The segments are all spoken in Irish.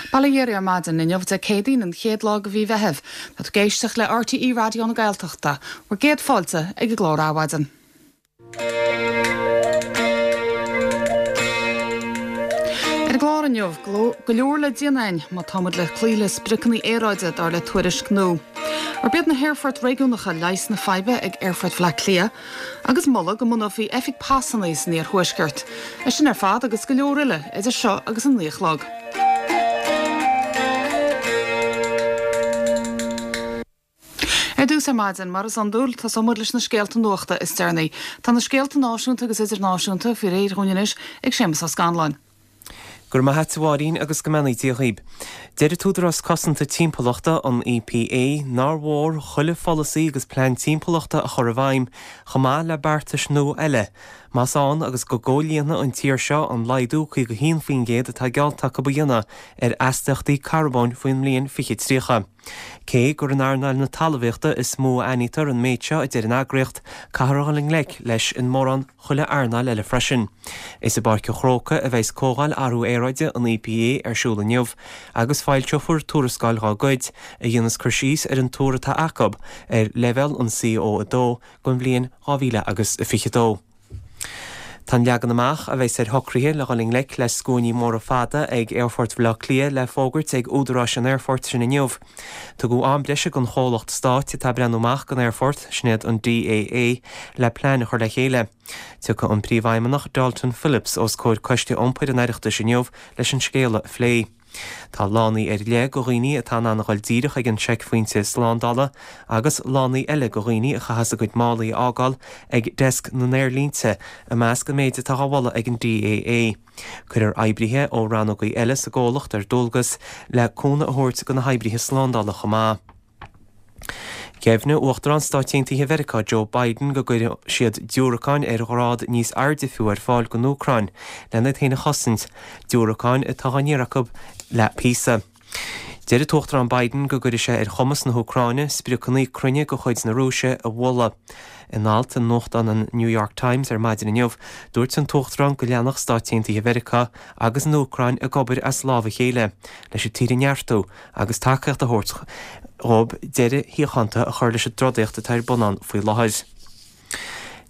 Bail ó Dhia oraibh ar maidin inniu Dé Céadaoin an chéad lá de mhí Mheithimh. Tá tú ag éisteacht le RTÉ Raidió na Gaeltachta. Bhur gcéad fáilte ag an gclár Adhmhaidin. Ar an gclár inniu, go leor le déanamh againn má tá muid le cloí le spriocanna aeráide dar le tuairisc nua. Arb iad na haerfoirt réigiúnacha leigheas na faidhbe ag Aerfort Bhaile Átha Cliath agus moladh go mbunófaí oifig pasanna san iarthuaisceart. É sin ar fad agus go leor eile idir seo agus an 9 a chlog. Ar dtús ar maidin, mar is iondúil, tosóidh muid leis na scéalta nuachta is deireanaí. Tá na scéalta náisiúnta agus idirnáisiúnta faoi réir dhúinn anois ag Séamus Ó Scanláin. Go raibh maith a't a Mháirín agus go mbeannaí Dia dhaoib. Deir an tÚdarás Cosanta Timpeallachta, an EPA, nár mhór chuile pholasaí agus plean timpeallachta a chur i bhfeidhm, chomh maith le beartais nua eile, más ann agus go gcomhlíonfaidh an tír seo an laghdú 51% atá geallta acu a dhéanamh ar astaíochtaí carbóin faoin mbliain 2030. Cé gur in earnáil na talmhaíochta is mó a aithnítear an méid seo, a deir an eagraíocht, caithfear a dhul i ngleic leis in mórán chuile earnáil eile freisin. Is i bPáirc an Chrócaigh a bheas Comhdháil Athrú Aeráide an EPA ar siúl inniu agus foilseofar tuarascáil dá gcuid a dhéanas cur síos ar an tuar atá acu ar leibhéal an CO2 don bhliain 2022. Tá an leagan amach a bheas ar shocruithe le dhul i ngleic le scuainí móra fada ag Aerfort Bhaile Átha Cliath le fógairt ag údaráis an aerfoirt sin inniu. Tugadh am breise don chomhlacht stáit atá ag breathnú amach don aerfort, sin iad an DAA, le plean a chur le chéile. Tiocfaidh an Príomhfheidhmeannach Dalton Phillips os comhair Coiste Iompair an Oireachtais inniu leis an scéala a phlé. Tá lánaí ar leith go dhaoine atá in ann a dhul díreach ag an seicphointe slándála agus lánaí eile go dhaoine a chaitheas a gcuid málaí a fhágáil ag deasc na n-aerlínte i measc an méid atá á mholadh ag an DAA. Cuirfear oibrithe ó rannógaí eile sa gcomhlacht ar dualgas le cúnamh a thabhairt go na hoibrithe slándála chomh maith. Dheimhnigh Uachtarán Stáit Aontaithe Mheiriceá Joe Biden go gcuirfidh siad diúracáin ar ghrád níos airde fiú ar fáil don Úcráin lena iad féin a chosaint, diúracáin atá á n-iarraidh acu le píosa. Deir an tUachtarán Biden go gcuirfidh sé ar chumas na hÚcráine spriocanna cruinne de chuid na Rúise a bhualadh. In alt i nuachtán an New York Times ar maidin inniu, dúirt an tUachtarán go leanfadh Stáit Aontaithe Mheiriceá agus an Úcráin ag obair as lámh a chéile leis an tír a neartú agus tacaíocht a thabhairt dhóibh deireadh shíochánta a chur leis an dtrodaíocht atá ar bun ann faoi láthair.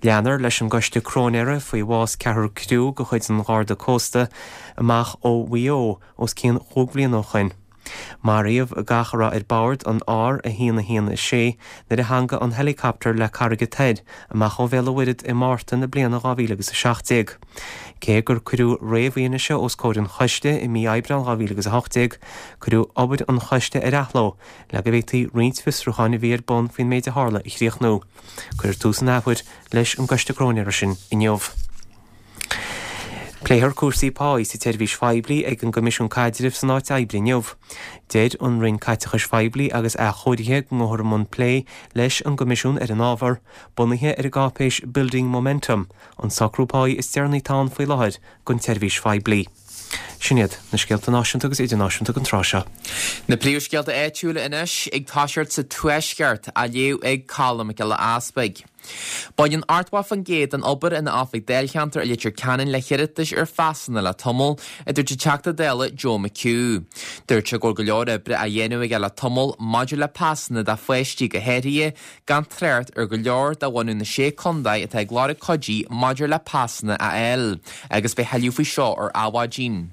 Leanfar leis an gcoiste cróinéara faoi bhás ceathrar criú de chuid an Gharda Cósta amach ó Mhaigh Eo os cionn chúig bhliana ó shoin. Maraíodh gach a raibh ar bord an R116 nuair a theangaigh an helicopter le Carraig an Toir amach ó Bhéal an Mhuirthead i Márta na bliana 2017. Cé gur cuireadh réamhfhianaise os comhair an choiste i mí Aibreán 2018, cuireadh obair an choiste ar athló le go bhféadfaí roinnt fiosrúcháin a bhí ar bun faoin méid a tharla a chríochnú. Cuirfear tús an athuair leis an gcoiste cróinéara sin inniu. Pléifear cúrsaí páí sa tseirbhís phoiblí ag an gCoimisiún Caidrimh san Áit Oibre inniu. Deir an Roinn Caiteachais Phoiblí agus Athchóirithe go ngabhfar i mbun plé leis an gCoimisiún ar an ábhar, bunaithe ar an gcáipéis Building Momentum, an socrú páí is deireanaí atá ann faoi láthair don tseirbhís phoiblí. Sin iad na scéalta náisiúnta agus idirnáisiúnta don tráth seo. Na príomhscéalta áitiúla anois ag toiseacht sa Tuaisceart, á léamh ag Colm Mac Giolla Easpaig. Baineann 80% den obair in oifig dáilcheantair i Leitir Ceanainn le hiarratais ar phasanna le tamall, a dúirt an Teachta Dála Joe McHugh. Dúirt sé go bhfuil go leor oibre á dhéanamh aige le tamall maidir le pasanna do pháistí go háirithe, gan trácht ar go leor de bhunadh na Sé Contae atá ag lorg cuidí maidir le pasanna a fháil, agus beidh tuilleadh faoi seo ar Adhmhaidin.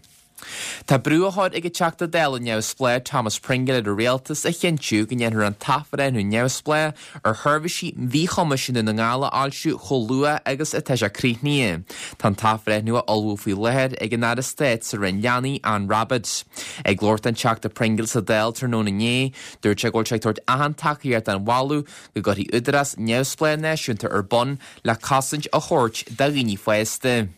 Tá brú á chur ag an Teachta Dála neamhspleách Thomas Pringle ar an Rialtas a chinntiú go ndéanfar an t-athbhreithniú neamhspleách ar sheirbhísí mhíchumais i nDún na nGall a fhoilsiú chomh luath agus atá sé críochnaithe. Tá an t-athbhreithniú á ullmhú faoi láthair ag an Aire Stáit sa Roinn Leanaí, Anne Rabbitte. Ag labhairt don Teachta Pringle sa Dáil tráthnóna inné, Dúirt sé go bhfuil sé ag tabhairt achan tacaíocht don mholadh go gcuirfí údarás neamhspleách náisiúnta ar bun le cosaint a thabhairt do dhaoine fásta.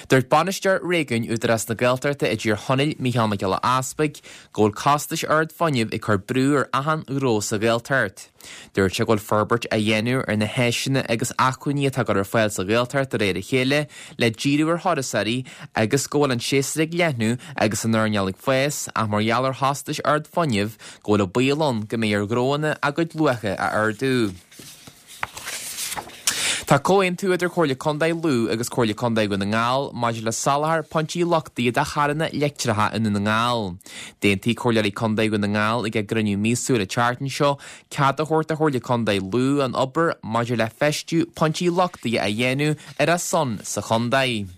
Dúirt Bainisteoir Réigiúin Údarás na Gaeltachta i dTír Chonaill, Mícheál Mac Giolla Easpaig, go bhfuil costais ard fuinnimh ag cur brú ar achan ghnó sa Ghaeltacht. Dúirt sé go bhfuil forbairt á dhéanamh ar na háiseanna agus acmhainní atá á gcur ar fáil sa Ghaeltacht de réir a chéile le díriú ar thurasóirí agus go bhfuil an séasúr ag leathnú agus an earnáil ag fás ach mar gheall ar chostais ard fuinnimh go bhfuil an baol ann go mbeidh ar ghnóanna a gcuid luacha a ardú. Tá comhaontú idir Comhairle Contae Lú agus Comhairle Contae Dhún na nGall maidir le soláthar pointí luchtaithe do charranna leictreacha i nDún na nGall. D'aontaigh Comhairleoirí Contae Dhún na nGall ag a gcruinniú míosúil an tseachtain seo cead a thabhairt do Chomhairle Contae Lú an obair maidir le feistiú pointí luchtaithe a dhéanamh ar a son sa chontae.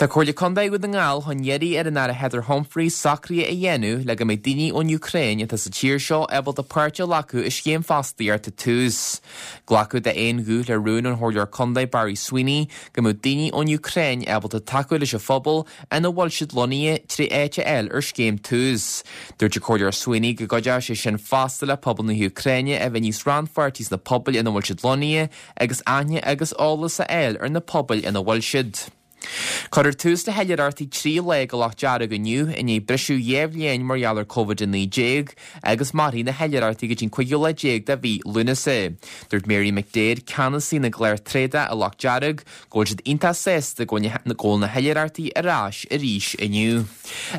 Tá Comhairle Contae Dhún na nGall chun iarraidh ar an Aire Heather Humphreys socruithe a dhéanamh le go mbeidh daoine ón Úcráin atá sa tír seo ábalta páirt a ghlacadh i scéim fostaíochta Tús. Glacadh d'aon ghuth le rún ón Chomhairleoir Contae Barry Sweeney go mbeadh daoine ón Úcráin ábalta tacú leis an phobal ina bhfuil siad lonnaithe tré áit a fháil ar scéim Tús. Dúirt an Comhairleoir Sweeney go gcuideodh sé sin fosta le pobal na hÚcráine a bheith níos rannpháirtí sna pobail ina bhfuil siad lonnaithe agus aithne agus eolas a fháil ar na pobail ina bhfuil siad. Cuirfear tús le hoilithreachtaí 3 lá go Loch Dearg inniu i ndiaidh briseadh 2 bhliain mar gheall ar Covid-19 agus mairfidh na hoilithreachtaí go dtí an cúigiú lá déag de mhí Lúnasa. Dúirt Mary McDaid, ceannasaí na gclár tréadach i Loch Dearg, go bhfuil siad iontach sásta go bhfuil na hoilithreachtaí ar ais arís inniu.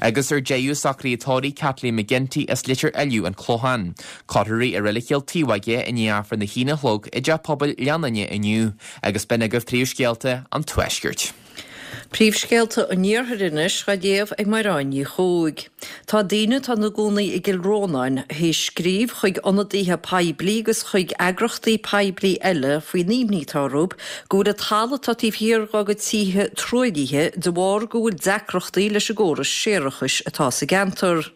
Agus ar deireadh, socraíodh tórraimh Kathleen McGinty as Leitir Fhiolláin, An Clochán. Cuirfear í i Reilig Chill Taobhóige i ndiaidh Aifreann a haon a chlog i dTeach Pobail Ghleann Fhinne inniu. Agus b'in agaibh príomhscéalta an Tuaiscirt. Príomhscéalta an Iarthair anois á léamh ag Mairéad Ní Chuaig. Tá daoine atá ina gcónaí i gCill Rónáin théis scríobh chuig ionadaithe poiblí agus chuig eagrachtaí poiblí eile faoin imní atá orthu go bhfuil an talamh atá taobh thiar dá gcuid tithe truaillithe de bharr go bhfuil deacrachtaí leis an gcóras séarachais atá sa gceantar.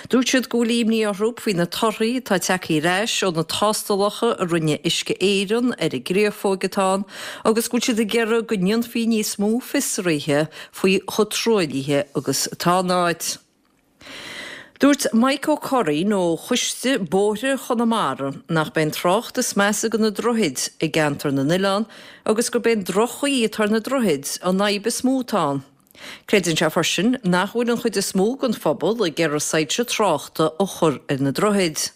Dúirt siad go bhfuil imní orthu faoi na torthaí atá tagtha ar ais ó na tástálacha a rinne Uisce Éireann ar an gcréafóig atá ann agus go bhfuil siad ag iarraidh go ndéanfaí níos mó fiosraithe faoi chomh truaillithe agus atá an áit. Dúirt Mike Ó Curraoin ó Choiste Bóithre Chonamara nach b'é an trácht is measa do na droichid i gCeantar na nOileán agus gurb é an droch-chaoi atá ar na droichid an fhadhb is mó atá ann. Creideann sé freisin nach bhfuil an chuid is mó den phobal ag iarraidh soilse tráchta a chur ar na droichid.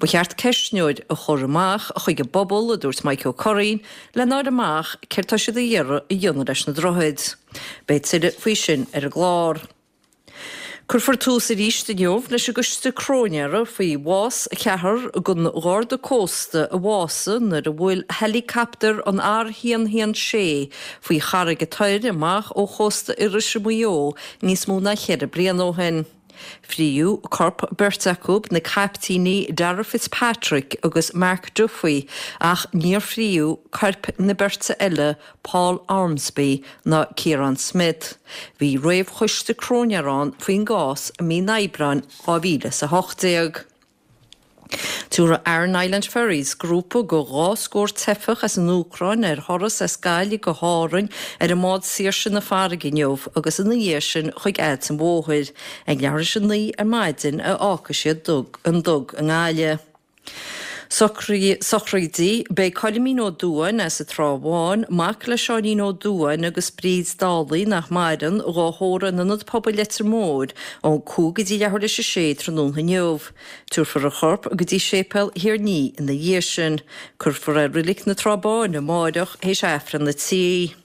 Ba cheart ceistneoir a chur amach chuig an bpobal, a dúirt Mike Ó Curraoin, lena fháil amach céard tá siad ag iarraidh a dhéanamh leis na droichid. Beidh tuilleadh faoi sin ar an gclár. Cuirfear tús arís inniu leis an gcoiste cróinéara faoi bhás cheathrar den Gharda Cósta a bhásaigh nuair a bhuail heileacaptar an R116 faoi Charraig an Toir amach ó chósta Iorrais i Maigh Eo níos mó ná cheithre bliana ó shin. Fríodh corp beirt acu, na caiptíní Darragh Fitzpatrick agus Mark Duffy, ach níor fríodh coirp na beirte eile Paul Ormsby ná Ciarán Smith. Bhí réamhchoiste cróinéara ann faoin gcás i mí an Aibreáin 2018. Tabharfaidh Aran Island Ferries grúpa de dhá scór teifeach as an Úcráin ar thuras as Gaillimh go hÁrainn ar an mbád Saoirse na Farraige inniu agus ina dhiaidh sin chuig Ailt an Mhóthair. Ag leathuair tar éis a naoi ar maidin a fhágfaidh siad an duga i nGaillimh. Sochraidí, Beidh Coilimín Ó Dubháin as an Trá Bháin, mac le Seáinín Ó Dubháin agus Bríd Dálaigh nach maireann, dhá thórramh in Ionad Pobail Leitir Móir ón 5 go dtí leathuair théis a sé tráthnóna inniu. Tabharfar a chorp go dtí Séipéal Thír an Fhia ina dhiaidh sin. Cuirfear é i Reilig na Trá Báine amáireach théis Aifreann a 3.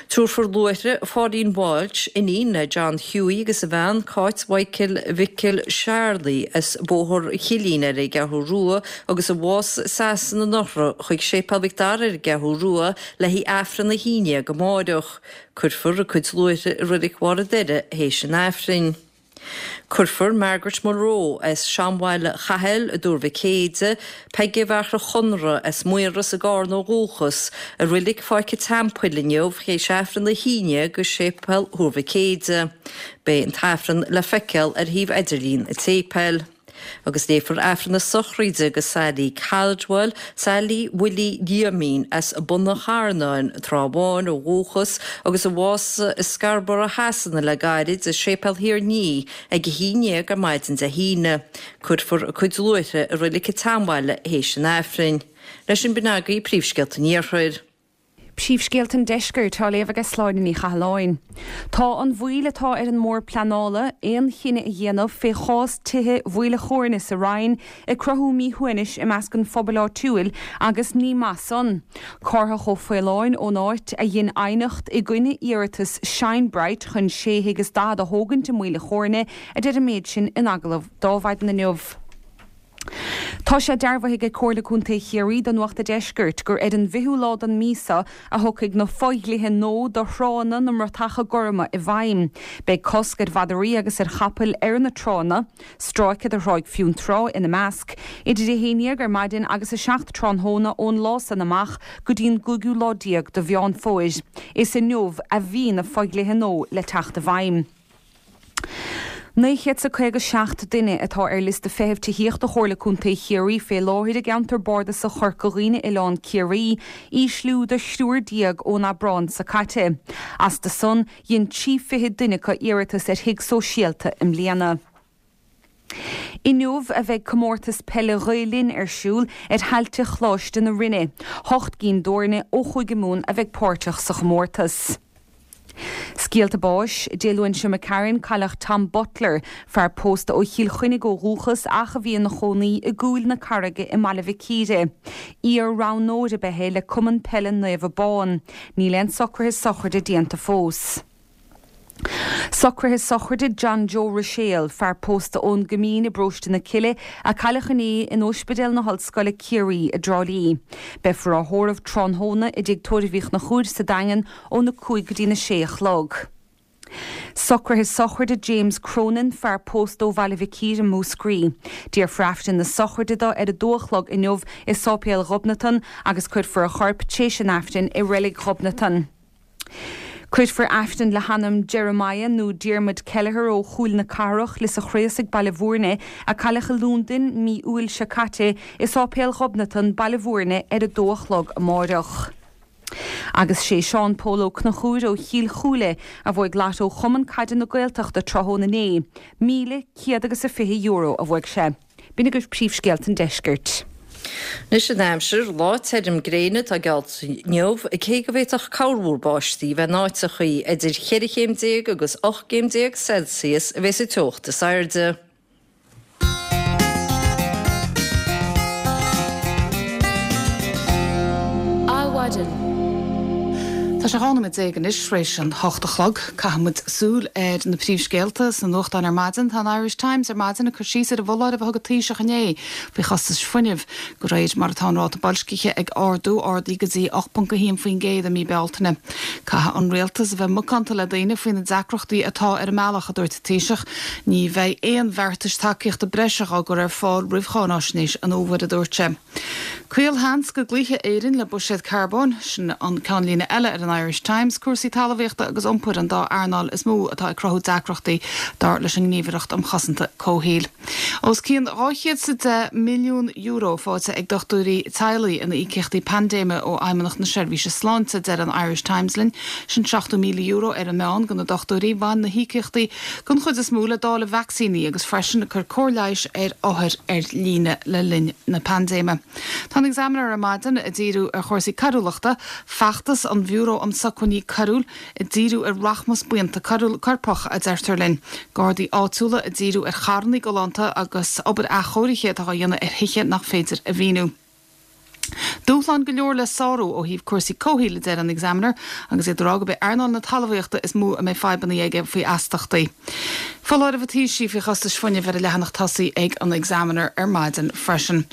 Tabharfar luaithre Pháilín Walsh, iníon le John Hughie agus a bhean Cáit Mhichael Mhicil Charlie as Bóthar Chillín ar an gCeathrú Rua agus a bhásaigh i Sasana anuraidh chuig Séipéal Mhic Dara ar an gCeathrú Rua le haghaidh Aifreann a 11 amáireach. Cuirfear a cuid luaithre i Reilig Bharr an Doire théis an Aifrinn. Cuirfear Margaret Mulroe as Seanbhaile Chathail i dTuar Mhic Éide, Peige Mhachaire Chonradh as Maoras i gCarna ó dhúchas, i Reilig Pháirc an Teampaill inniu théis Aifreann a 11 i Séipéal Thuar Mhic Éide. Beidh an tAifreann le feiceáil ar shuíomh idirlín an tséipéil. Agus léifear Aifreann na sochraide do Sally Caldwell, Sally Willie Liaimín as Bun an Charnáin, Trá Bháin ó dhúchas agus a bhásaigh i Scarborough Shasana le gairid, i Séipéal Thír an Fhia ag a haon dhéag ar maidin Dé hAoine. Cuirfear a cuid luaithre i Reilig an tSeanbhaile théis an Aifrinn. Leis sin b'in agaibh príomhscéalta an Iarthair. Príomhscéalta an Deiscirt á léamh aige Sláine Ní Chathalláin. Tá an mhoill atá ar an mBord Pleanála aon chinneadh a dhéanamh fé chás tithe Mhaoil a' Chóirne sa Rinn ag cruthú míshuaimhnis i measc an phobail áitiúil agus ní maith san. Cárthach Ó Faoláin ón áit a dhein aighneacht i gcoinne iarratas Shine Bright chun sé thigh is 40 a thógaint i Maoil a' Chóirne a deir an méid sin in agallamh do Adhmhaidin inniu. Tá sé dearbhaithe ag Comhairle Contae Chiarraí do Nuacht a' Deiscirt gur ar an bhfichiú lá den mhí seo a thiocfaidh na fodhlíthe nua do thránna na mBratacha Gorma i bhfeidhm. Beidh cosc ar mhadraí agus ar chapaill ar na tránna, stráice de Thráigh Fionntrá ina measc, idir 11 ar maidin agus 7 tráthnóna ón lá san amach go dtí an gcúigiú lá déag de Mheán Fómhair. Is inniu a bhí na fodhlíthe nua le teacht i bhfeidhm. 957 duine atá ar liosta feithimh tithíochta Chomhairle Contae Chiarraí fé láthair i gceantar bardasach Chorca Dhuibhne-Oileán Ciarraí, ísliú de thriúr déag ón Aibreán seo caite. Astu san, dhein 23 fichead duine acu iarratas ar thigh sóisialta i mbliana. Inniu a bheidh Comórtas Peile Ghael Linn ar siúl ar thailte Choláiste na Rinne. Hocht gcinn d'fhoirne ó Chúige Mumhan a bheidh páirteach sa chomórtas. Scéalta báis, Dé Luain seo imigh tharainn, cailleadh Tom Butler, fear pósta ó Chill Chainnigh ó dhúchas ach a bhí ina chónaí i gCúil na Carraige i mBaile Mhic Íre. Iar-roghnóir ab ea é le Cumann Peile Naomh Abán. Níl aon socruithe sochraide déanta fós. Socruithe sochraide John Joe Ruiséal, fear pósta ón gCoimín i bparóiste na Cille, a cailleadh inné in Ospidéal na hOllscoile Ciarraí i dTrá Lí. Beifear á thórramh tráthnóna i dTigh Tórraimh Uí Chonchúir sa Daingean óna 5 go dtína 6 a chlog. Socruithe sochraide James Cronin, fear pósta ó Bhaile Mhic Íre, Múscraí. Déarfar Aifreann na sochraide dó ar a dó a chlog inniu i Sáipéal Ghobnatan agus cuirfear a chorp tréis an Aifrinn i Reilig Ghobnatan. Cuirfear Aifreann le hanam Jeremiah nó Diarmuid Kelleher ó Chúil na Cathrach, Lios a' Chraosaigh, Baile Bhúirne, a cailleadh i Londain mí Iúil seo caite, i Sáipéal Ghobnatan, Baile Bhúirne ar a dó a chlog amáireach. Agus sé Seán Pól Ó Conchúir ó Chill Chúile a bhuaigh Lotto Chumann Caide na Gaeltachta tráthnóna inné. €1,100 agus €20 a bhuaigh sé. B'in agaibh príomhscéalta an deiscirt. Anois an aimsir, lá tirim gréine atá geallta inniu, cé go bhféadfadh corrmhúr báistí bheith in áiteachaí. Idir cheithre chéim déag agus 18 gcéim Celsius a bheas an teocht is airde. Adhmhaidin. Tá sé 12 nóiméad anois tar éis an hocht a chlog. Caithfidh muid súil ar na príomhscéalta sna nuachtáin ar maidin. Tá an Irish Times ar maidin ag cur síos ar an bhfoláireamh a thug an Taoiseach inné faoi chostais fuinnimh. De réir mar atá an ráta boilscithe ag ardú, ardaithe go dtí 8.1% i mí Bealtaine. Caithfidh an rialtas a bheith macánta le daoine faoi na deacrachtaí atá ar an mbealach, a dúirt an Taoiseach. Ní bheidh aon bheartais tacaíochta breise á gcur ar fáil roimh cháináisnéis an fhómhair, a dúirt sé. Caolsheans go gcloífidh Éirinn le buiséad carbóin, sin an ceannlíne eile ar an Irish Times. Cúrsaí talmhaíochta agus iompair an dá earnáil is mó atá ag cruthú deacrachtaí, dar leis an nGníomhaireacht um Chosanta Comhshaoil. Os cionn €210 milliún faighte ag dochtúirí teaghlaigh ina íocaíochtaí paindéime ó Fheidhmeannacht na Seirbhíse Sláinte, deir an Irish Times linn. Sin €70,000 ar an meán do na dochtúirí. Bhain na híocaíochtaí den chuid is mó le dáileadh vacsaíní agus freisin cur cóir leighis ar othair ar líne le linn na paindéime. Tá an Examiner ar maidin ag díriú ar chúrsaí coiriúlachta, feachtas an Bhiúró um Sócmhainní Coiriúil ag díriú ar rachmas buíonta coirpeach, a deirtear linn. Gardaí áitiúla ag díriú ar charranna galánta agus obair athchóirithe atá á dhéanamh ar thithe nach féidir a mhíniú. Dúshláin go leor le sárú ó thaobh cúrsaí comhshaoil, a deir an Examiner, agus iad ag rá gurb é earnáil na talmhaíochta is mó a mbeidh fadhbanna aige faoi astachtaí. Foláireamh an Taoisigh faoi chostais fuinnimh ar an leathanach tosaigh ag an Examiner ar maidin freisin.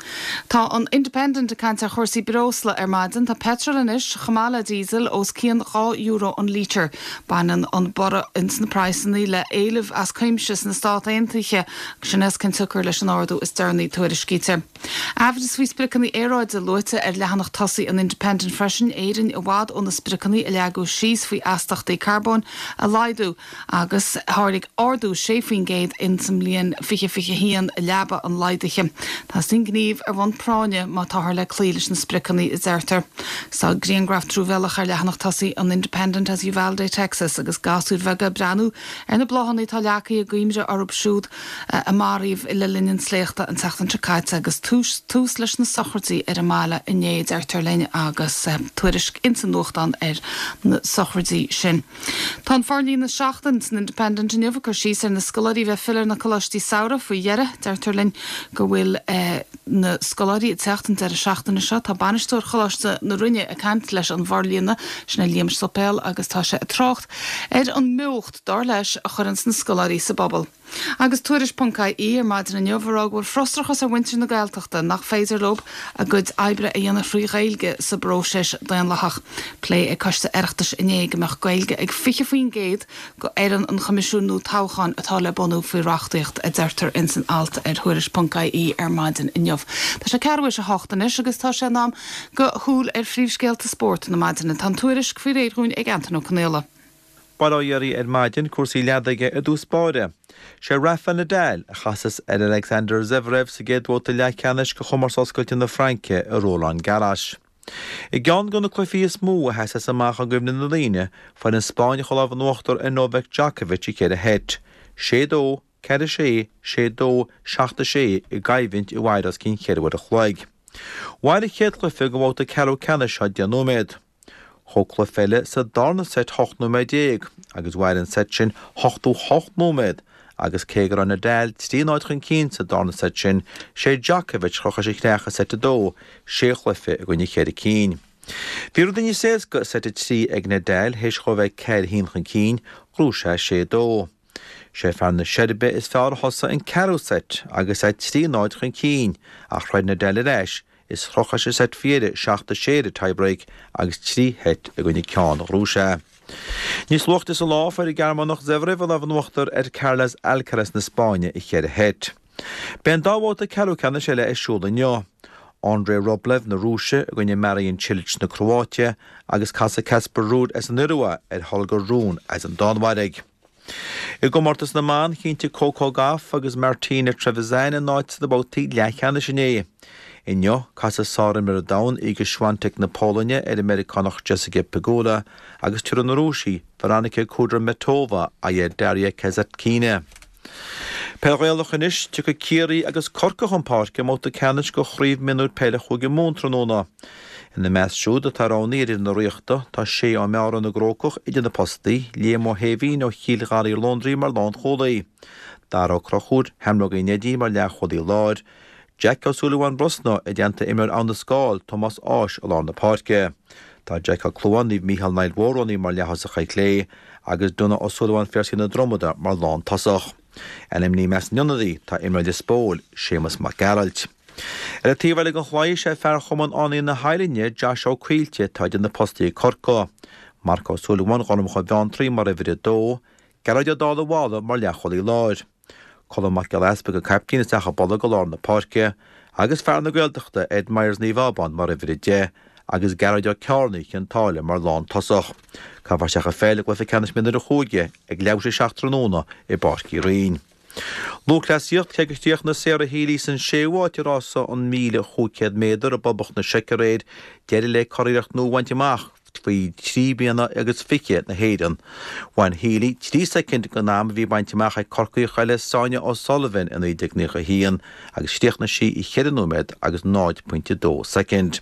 Tá an Independent ag caint ar chúrsaí breosla ar maidin. Tá peitreal anois, chomh maith le díosal, os cionn €2 an lítear. Baineann an borradh ins na praghsanna le éileamh as cuimse sna Stát Aontaithe agus sin as cionn tsiocair leis an ardú is deireanaí, tuairiscítear. Aimhreas faoi spriocanna aeráide luaite ar leathanach tosaigh an Independent freisin, Éirinn i bhfad ó na spriocanna a leagadh síos faoi astachtaí carbóin a laghdú agus tháinig ardú 6% in sa mbliain 2021 i leaba an laghdaithe. Teastaíonn gníomh ar bhonn práinne má táthar le cloí leis na spriocanna, a deirtear. Tá grianghraf truamhéalach ar leathanach tosaigh an Independent as Uvalde, Texas agus gasúir bheaga ag breathnú ar na bláthanna atá leagtha i gcuimhne orthu siúd a maraíodh le linn an tsléachta an tseachtain seo caite agus tús leis na sochraidí ar an mbaile inné, deirtear linn, agus tuairisc ins an nuachtán ar na sochraidí sin. Tá an forlíonadh Seachtain san Independent inniu ag cur síos ar na scoláirí a bheith ag filleadh ar na coláistí samhraidh faoi dheireadh. Deirtear linn go bhfuil na scoláirí ag teacht an deireadh seachtaine seo. Tá bainisteoir Choláiste na Rinne ag caint leis an bhforlíonadh, sin é Liam Suipéil, agus tá sé ag trácht ar an mbeocht, dar leis, a chuireanns na scoláirí sa bpobal. Agus Tuairisc ponc IE ar maidin inniu ag rá go bhfuil frustrachas ar mhuintir na Gaeltachta nach féidir leo a gcuid oibre a dhéanamh thrí Ghaeilge sa bpróiseas daonlathach. Plé ag Coiste Oireachtais inné go mbeadh Gaeilge ag 20% de fhoireann an Choimisiúin nua Toghcháin atá le bunú faoi reachtaíocht, a deirtear ins an alt ar Thuairisc ponc IE ar maidin inniu. Tá sé ceathrú théis a hocht anois agus tá sé in am do shúil ar phríomhscéalta spóirt na maidine. Tá an tuairisc faoi réir dhúinn ag Antain Ó Conaola. Bail ó Dhia oraibh ar maidin, cúrsaí leadóige i dtús báire. Sé Rafael Nadal a chasas ar Alexander Zverev sa gcéad bhabhta leathcheannais de Chomórtas Oscailte na Fraince i Roland Garros. I gceann de na cluichí is mó a sheasas amach i gcuimhne na ndaoine, fuair an Spáinneach an lámh in uachtar ar Novak Djokovic i cheithre sheit, 6-2, 4-6, 6-2, 7-6 i gcoimhlint a mhair os cionn cheithre uair a chloig. Mhair an chéad chluiche den bhabhta ceathrú ceannais seo 10 nóiméad. Thóg cluiche eile sa darna seit 18 nóiméad agus mhair an seit sin 88 nóiméad agus cé go raibh Nadal 3-0 chun cinn sa darna seit sin, sé Djokovic a chroch leis an chreach i seit 2, sé chluiche i gcoinne cheithre cinn. Bhí rudaí níos éasca i seit 3 ag Nadal, théis dhó bheith 4-1 chun cinn, ghnóthaigh sé 6-2. Sé fear na Seirbe is fearr a thosaigh an ceathrú seit agus é 3-0 chun cinn ach throid Nadal ar ais is chroch leis an seit faoi dheireadh 7-6 ar an tiebreak agus trí sheit i gcoinne ceann a ghnóthaigh sé. Níos luaite sa lá fuair an Gearmánach Zverev an lámh in uachtar ar Carlos Alcaraz na Spáinne i cheithre sheit. Beidh an dá bhabhta ceathrú ceannais eile ar siúl inniu. Andrei Rublev na Rúise i gcoinne Marin Cilic na Cróite agus casfaidh Casper Ruud as an Iorua ar Holger Rune as an Danmhairg. I gcomórtas na mban, chinntigh Coco Gauff agus Martina Trevisan a n-áit sna babhtaí leathcheannais inné. Inniu, casfaidh sárimreoir an domhain Iga Swiatek na Polainne ar an Meiriceánach Jessica Pegula agus tabharfaidh an Rúis Veronika Kudermetova aghaidh ar Daria Kasatkina. Peil Ghaelach anois, tiocfaidh Ciarraí agus Corcaigh chun páirce i mbabhta ceannais de Chraobh Mionúir Peile Chúige Mumhan tráthnóna. Ina measc siúd atá roghnaithe ar fhoireann na Ríochta, tá Shay Ó Meára na gCrócach idir na postaí, Liam Ó hÉimhín ó Chill Gharraí Lóndrann mar lánchúlaí, Dara Ó Conchúir Sheamrógaí Neidí mar leathchúlaí láir, Jack Ó Súilleabháin Brosna i dteannta imreoir Abha na Scáil, Tomás Ághas i lár na páirce. Tá Jack Ó Clúmháin Naomh Mícheál Niall Mhór roghnaithe mar leath-thosach ar clé agus Donagh Ó Súilleabháin Phiarsaigh na Dromoda mar lántosach. Ainmnithe i measc na n-ionadaí tá imreoir Lios Póil, Séamus Mac Gearailt. Ar an taobh eile den chlaí is é fear Chumann Fhánaithe na hAilinne, Josh Ó Caoilte, atá idir na postaí ag Corcaigh. Marc Ó Súilleabháin Ghormchadha Bheanntraí mar uimhir 2, Gearóid Ó Dálaigh Mháille mar leathchúlaí láir. Colm Mac Giolla Easpaig an caiptín isteach i bolg i lár na páirce agus fear na Gaeltachta Ed Myers Naomh Abán mar uimhir 10 agus Gearóid Ó Cearnaigh Chionn tSáile mar lántosach. Caithfear isteach an pheil i gcluiche ceannais mionúir an chúige ag leathuair tar éis a 7 tráthnóna i bPáirc Uí Rinn. Lúthchleasaíocht, Cé gur chríochnaigh Sarah Healy san séú háit i rása an 1,500 méadar i bPoblacht na Seice aréir, d'éirigh léi curiarracht nua a bhaint amach faoi thrí bliana agus fiche na hÉireann. Bhain Healy 3 soicind den am a bhí bainte amach ag Corcaíoch eile Sonia O'Sullivan i 1991 agus chríochnaigh sí i 4 nóiméad agus 0.2 soicind.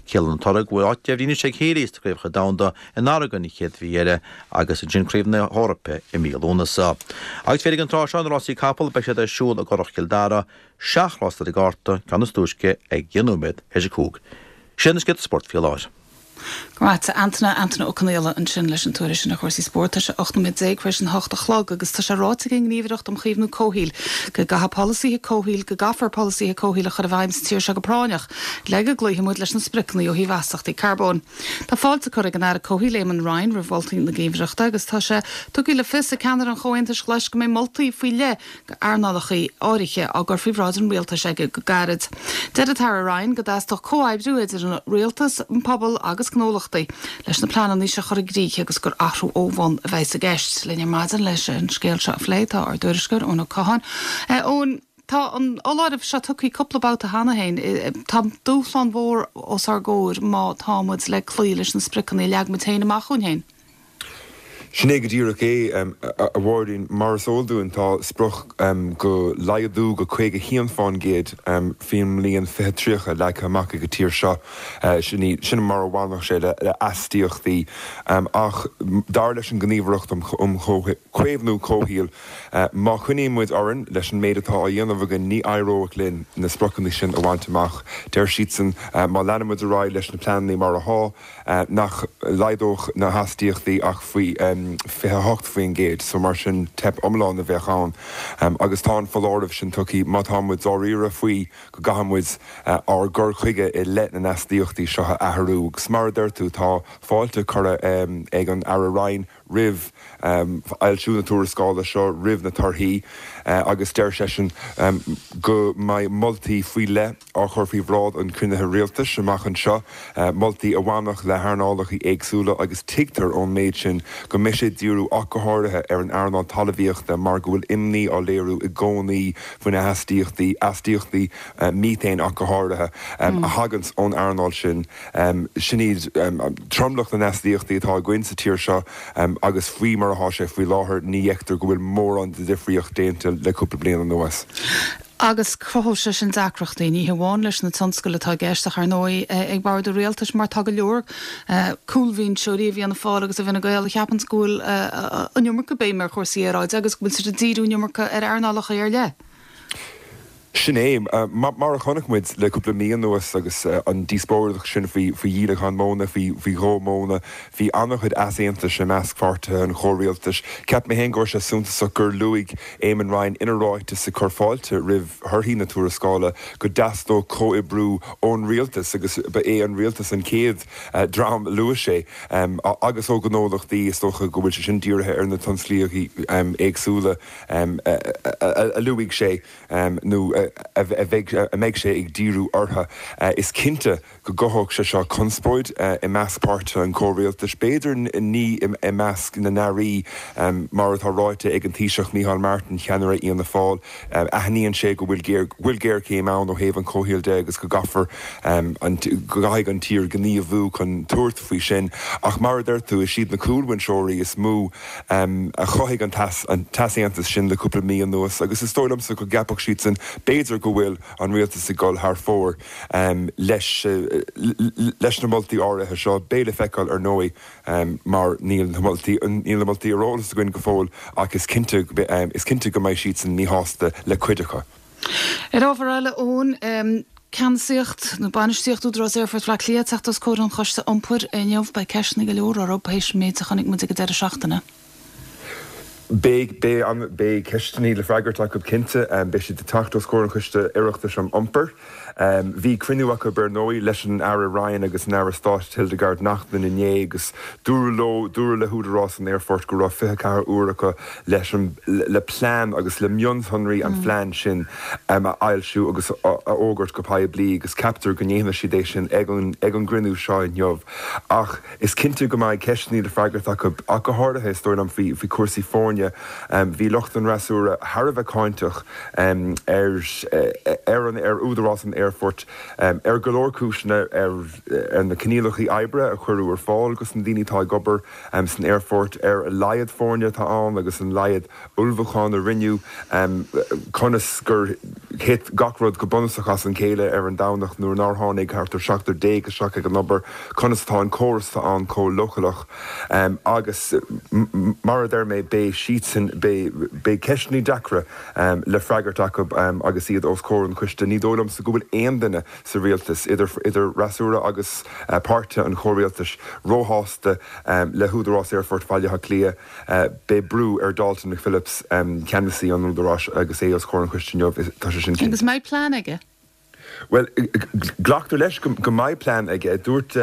Ciallaíonn an toradh go bhfuil áit deimhnithe anois ag Healy sna Craobhacha Domhanda in Oregon an chéad mhí eile agus ansin Craobh na hEorpa i mí Lúnasa. Agus fé ag an tráth seo na rásaí capall beidh siad ar siúl i gCurrach Chill Dara, seacht rás ar an gcárta, ceann is túisce ag 10 nóiméad théis a 5. Sin na scéalta spóirt faoi láthair. Go raibh maith a't, a Antaine, Antaine Ó Conaola ansin leis an tuairisc sin ar chúrsaí spóirt. Tá sé 18 nóiméad tar éis an hocht a chlog agus tá sé ráite ag an nGníomhaireacht um Chaomhnú Comhshaoil go gcaithfidh polasaithe comhshaoil go gcaithfear polasaithe comhshaoil a chur i bhfeidhm sa tír seo go práinneach le go gcloífidh muid leis na spriocanna ó thaobh astaíochtaí carbóin. Tá fáilte curtha ag an Aire Comhshaoil Eamon Ryan roimh mholtaí na Gníomhaireachta agus tá sé tugtha le fios ag ceannaire an Chomhaontais Ghlais go mbeidh moltaí faoi leith d'earnálacha áirithe á gcur faoi bhráid an rialtais aige go gairid. Deir an tAire Ryan go dteastódh comhoibriú idir an rialtas, an pobal agus gnólachtaí leis na pleananna seo a chur i gcrích agus gur athrú ó bhun a bheas i gceist. Linn ar maidin leis an scéal seo a phlé tá ár dtuairisceoir Eoin Ó Catháin. Eoin, tá an foláireamh seo tugtha cúpla babhta cheana féin. Tá dúshlán mhór os ár gcomhair má tá muid le cloí leis na spriocanna a leag muid féin amach dhúinn féin. Sin é go díreach é, a Mháirín. Mar is eol dúinn, tá sprioc go laghdú go 51% faoin mbliain 2030 leagtha amach ag an tír seo. Sin mar a bhainfeadh sé le astaíochtaí. Ach dar leis an nGníomhaireacht um Chaomhnú Comhshaoil, má choinníonn muid orainn leis an méid atá á dhéanamh againn, ní éireoidh linn na spriocanna sin a bhaint amach. Deir siadsan, má leanann muid ar aghaidh leis na pleananna mar atá, nach laghdódh na hastaíochtaí ach faoi. 28%, so mar sin teip iomlán a bheadh ann. Agus tá an foláireamh sin tugtha, má tá muid dáiríre faoi go gcaithfidh muid ár gcur chuige i leith na n-astaíochtaí seo a athrú. Agus mar a deir tú, tá fáilte curtha ag an Aire Ryan roimh fhoilsiú na tuarascála seo, roimh na torthaí, agus deir seisean go mbeidh moltaí faoi leith á chur faoi bhráid an chruinnithe rialtais amach anseo, moltaí a bhainfeadh le hearnálacha éagsúla agus tuigtear ón méid sin go mbeidh sé ag díriú ach go háirithe ar an earnáil talmhaíochta mar go bhfuil imní á léiriú i gcónaí faoi na hastaíochtaí, astaíochtaí mítéin ach go háirithe, a thaganns ón earnáil sin. Sin iad tromlach na n-astaíochtaí atá againn sa tír seo agus faoi mar atá sé faoi láthair ní fheictear go bhfuil mórán de dhifríocht déanta le cúpla bliain anuas. Agus cruthóidh sé sin deacrachtaí, ní hamháin leis na tionscail atá i gceist ach ar ndóigh ag bord an rialtais mar tá go leor cúlbhinseoirí i bhFianna Fáil agus i bhFine Gael a cheapanns go bhfuil an iomarca béime ar chúrsaí aeráide agus go bhfuil siad ag díriú an iomarca ar earnálacha ar leith. Sin é. Mar a chonaic muid le cúpla mí anuas agus an díospóireacht sin faoi dhíolachán móna, faoi dhó móna, bhí an-chuid easaontais i measc pháirtithe an chomhrialtais. Cheap mé féin go raibh sé suntasach gur luaigh Eamon Ryan ina ráiteas ag cur fáilte roimh thorthaí na tuarascála go dteastódh comhoibriú ón rialtas agus ba é an rialtas an chéad dream a luaigh sé agus ó ghnólachtaí. Is dócha go bhfuil sé sin dírithe ar na tionsclaíochtaí éagsúla a luaigh sé. nó a bheidh, a mbeidh sé ag díriú orthu. Is cinnte go gcothódh sé seo conspóid i measc páirtithe an chomhrialtais, b'fhéidir ní i measc na n-airí, mar atá ráite ag an Taoiseach Micheál Martin, ceannaire Fhianna Fáil. Aithníonn sé go bhfuil go bhfuil géarchéim ann ó thaobh an chomhshaoil de agus go gcaithfear an go gcaithfidh an tír gníomhú chun tabhairt faoi sin. Ach mar a deir tú, is iad na cúlbhinseoirí is mó a chothaigh an t-easaontas sin le cúpla mí anuas agus is dóigh liomsa go gceapfadh siadsan b'fhéidir go bhfuil an rialtas ag dul thar fóir leis leis na moltaí áirithe seo. Beidh le feiceáil ar ndóigh mar níl na moltaí níl na moltaí ar eolas againn go fóill ach is cinnte is cinnte go mbeidh siadsan míshásta le cuid acu. Ar ábhar eile, Eoin, ceannasaíocht nó bainistíocht Údarás Aerfort Bhaile Átha Cliath ag teacht os comhair an Choiste Iompair inniu, beidh ceisteanna go leor orthu théis an méid a chonaic muid ag an deireadh seachtaine. Beidh, beidh an, beidh ceisteanna le freagairt acu cinnte. Beidh siad ag teacht os comhair an Choiste Oireachtais um Iompar. Bhí cruinniú acu ar ndóigh leis an Aire Ryan agus an Aire Stáit Hildegarde Naughton inné agus dúradh leo, dúradh le hÚdarás an Aerfoirt go raibh 24 uair acu leis an, le plean agus le mionsonraí an phlean sin a fhoilsiú agus a fhógairt go poiblí agus ceaptar go ndéanfaidh siad é sin ag an, ag an gcruinniú seo inniu. Ach is cinnte go mbeidh ceisteanna le freagairt acu, ach go háirithe, is dóigh liom, faoi, faoi chúrsaí foirne. Bhí lucht an fhreasúra thar a bheith cáinteach ar, ar an, ar Údarás an Aerfoirt ar go leor cúiseanna, ar, ar na coinníollacha oibre a cuireadh ar fáil dos na daoine atá ag obair san aerfort, ar a laghad foirne atá ann agus an laghad ullmhúcháin a rinneadh, conas gur thit gach rud go bunúsach as an chéile ar an Domhnach nuair nár tháinig thart ar 17 isteach ag an obair, conas atá an córas atá ann chomh leochaileach agus mar a deir mé, beidh siadsan, beidh ceisteanna deacra le freagairt acu agus iad os comhair an choiste. Ní dóigh liomsa go bhfuil aon duine sa rialtas, idir fhreasúra agus páirtithe an chomhrialtais, róshásta le hÚdarás Aerfort Bhaile Átha Cliath. Beidh brú ar Dalton McPhillips, ceannasaí an Údaráis, agus é os comhair an choiste inniu, tá sé sin cinnte. Agus an mbeidh plean aige? Bhuel, glactar leis go mbeidh plean aige. Dúirt,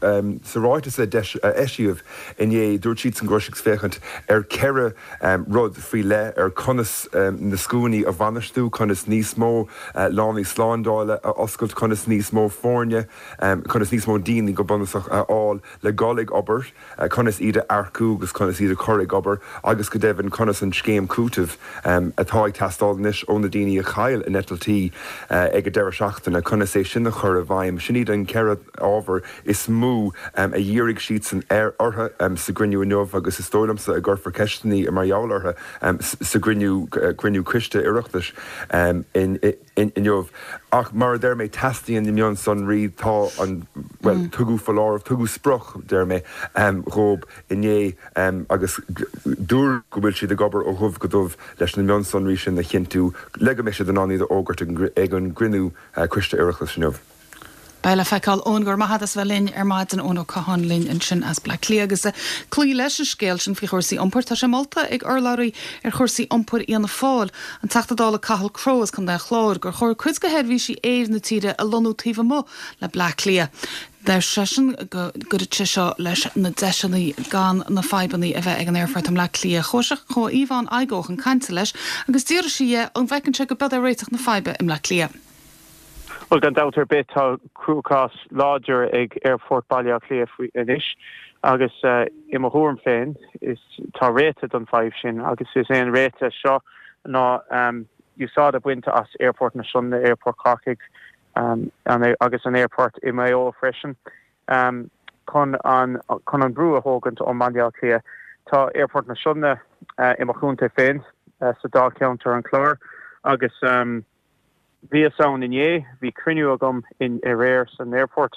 sa ráiteas a eisíodh inné, dúirt siadsan go raibh siad ag féachaint ar cheithre rud faoi leith, ar conas na scuainí a bhainistiú, conas níos mó lánaí slándála a oscailt, conas níos mó foirne, conas níos mó daoine go bunúsach a fháil le dhul ag obair, conas iad a earcú agus conas iad a chur ag obair agus go deimhin conas an scéim cúitimh atá ag teastáil anois ó na daoine a chaill a n-eitiltí ag an deireadh seachtaine, conas é sin a chur i bhfeidhm. Sin iad an ceithre ábhar is mó a dhírigh siadsan orthu sa gcruinniú inniu agus is dóigh liomsa a gcuirfear ceisteanna mar gheall orthu sa gcruinniú, cruinniú coiste Oireachtais inniu. Ach mar a deir mé, teastaíonn na mionsonraí, tá an, bhuel, tugadh foláireamh, tugadh sprioc, deir mé, dhóib inné agus dúradh go bhfuil siad ag obair ó dhubh go dubh leis na mionsonraí sin a chinntiú le go mbeidh siad in ann iad a fhógairt ag an gcruinniú coiste Oireachtais inniu. Beidh le feiceáil. Eoin, go raibh maith agat as bheith linn ar maidin. Eoin Ó Catháin linn ansin as Bleá Cliath agus ag cloí leis an scéal sin faoi chúrsaí iompair, tá sé molta ag urlabhraí ar chúrsaí iompair Fhianna Fáil, an Teachta Dála Cathal Crowe as Contae an Chláir, gur chóir cuid de sheirbhísí aeir na tíre a lonnú taobh amuigh le Bleá Cliath. Deir seisean go gcuirfeadh sé seo leis na deiseanna gan na fadhbanna a bheith ag an aerfort i mBleá Cliath. Chuaigh chuaigh Yvonne Igoe chun cainte leis agus d'fhiafraigh sí dhe an bhfeiceann sé go b'iod é réiteach na faidhbe i mBleá Cliath. Bhuel, gan dabht ar bith, tá cruachás láidir ag Aerfort Bhaile Átha Cliath faoi anois agus i mo thuairim féin, is tá réiteach don fadhb sin agus is é an réiteach seo ná úsáid a bhaint as Aerfort na Sionainne, Aerfort Chorcaigh, agus an aerfort i Maigh Eo freisin chun an chun an brú a thógaint ó mBaile Átha Cliath. Tá Aerfort na Sionainne i mo chontae féin, sa Dáilcheantar An Clár, agus bhíos ann inné, bhí cruinniú agam aréir san aerfort.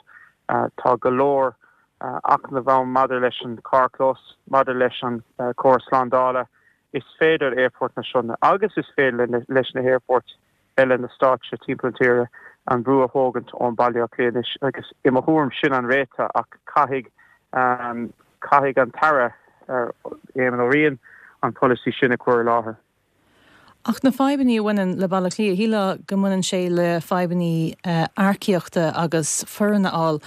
Tá go leor acmhainní ann maidir leis an carrchlós, maidir leis an córas slándála. Is féidir le Aerfort na Sionainne agus is féidir leis na haerfoirt eile na stáit seo timpeall na tíre an brú a thógaint ón Baile Átha Cliath anois agus i mo thuairim sin an réiteach ach caithfidh caithfidh an tAire Éamon Ó Riain an polasaí sin a chur i láthair. Ach na fadhbanna a bhaineann le Baile Átha Cliath, shílfeá go mbaineann sé le fadhbanna earcaíochta agus foireann a fháil.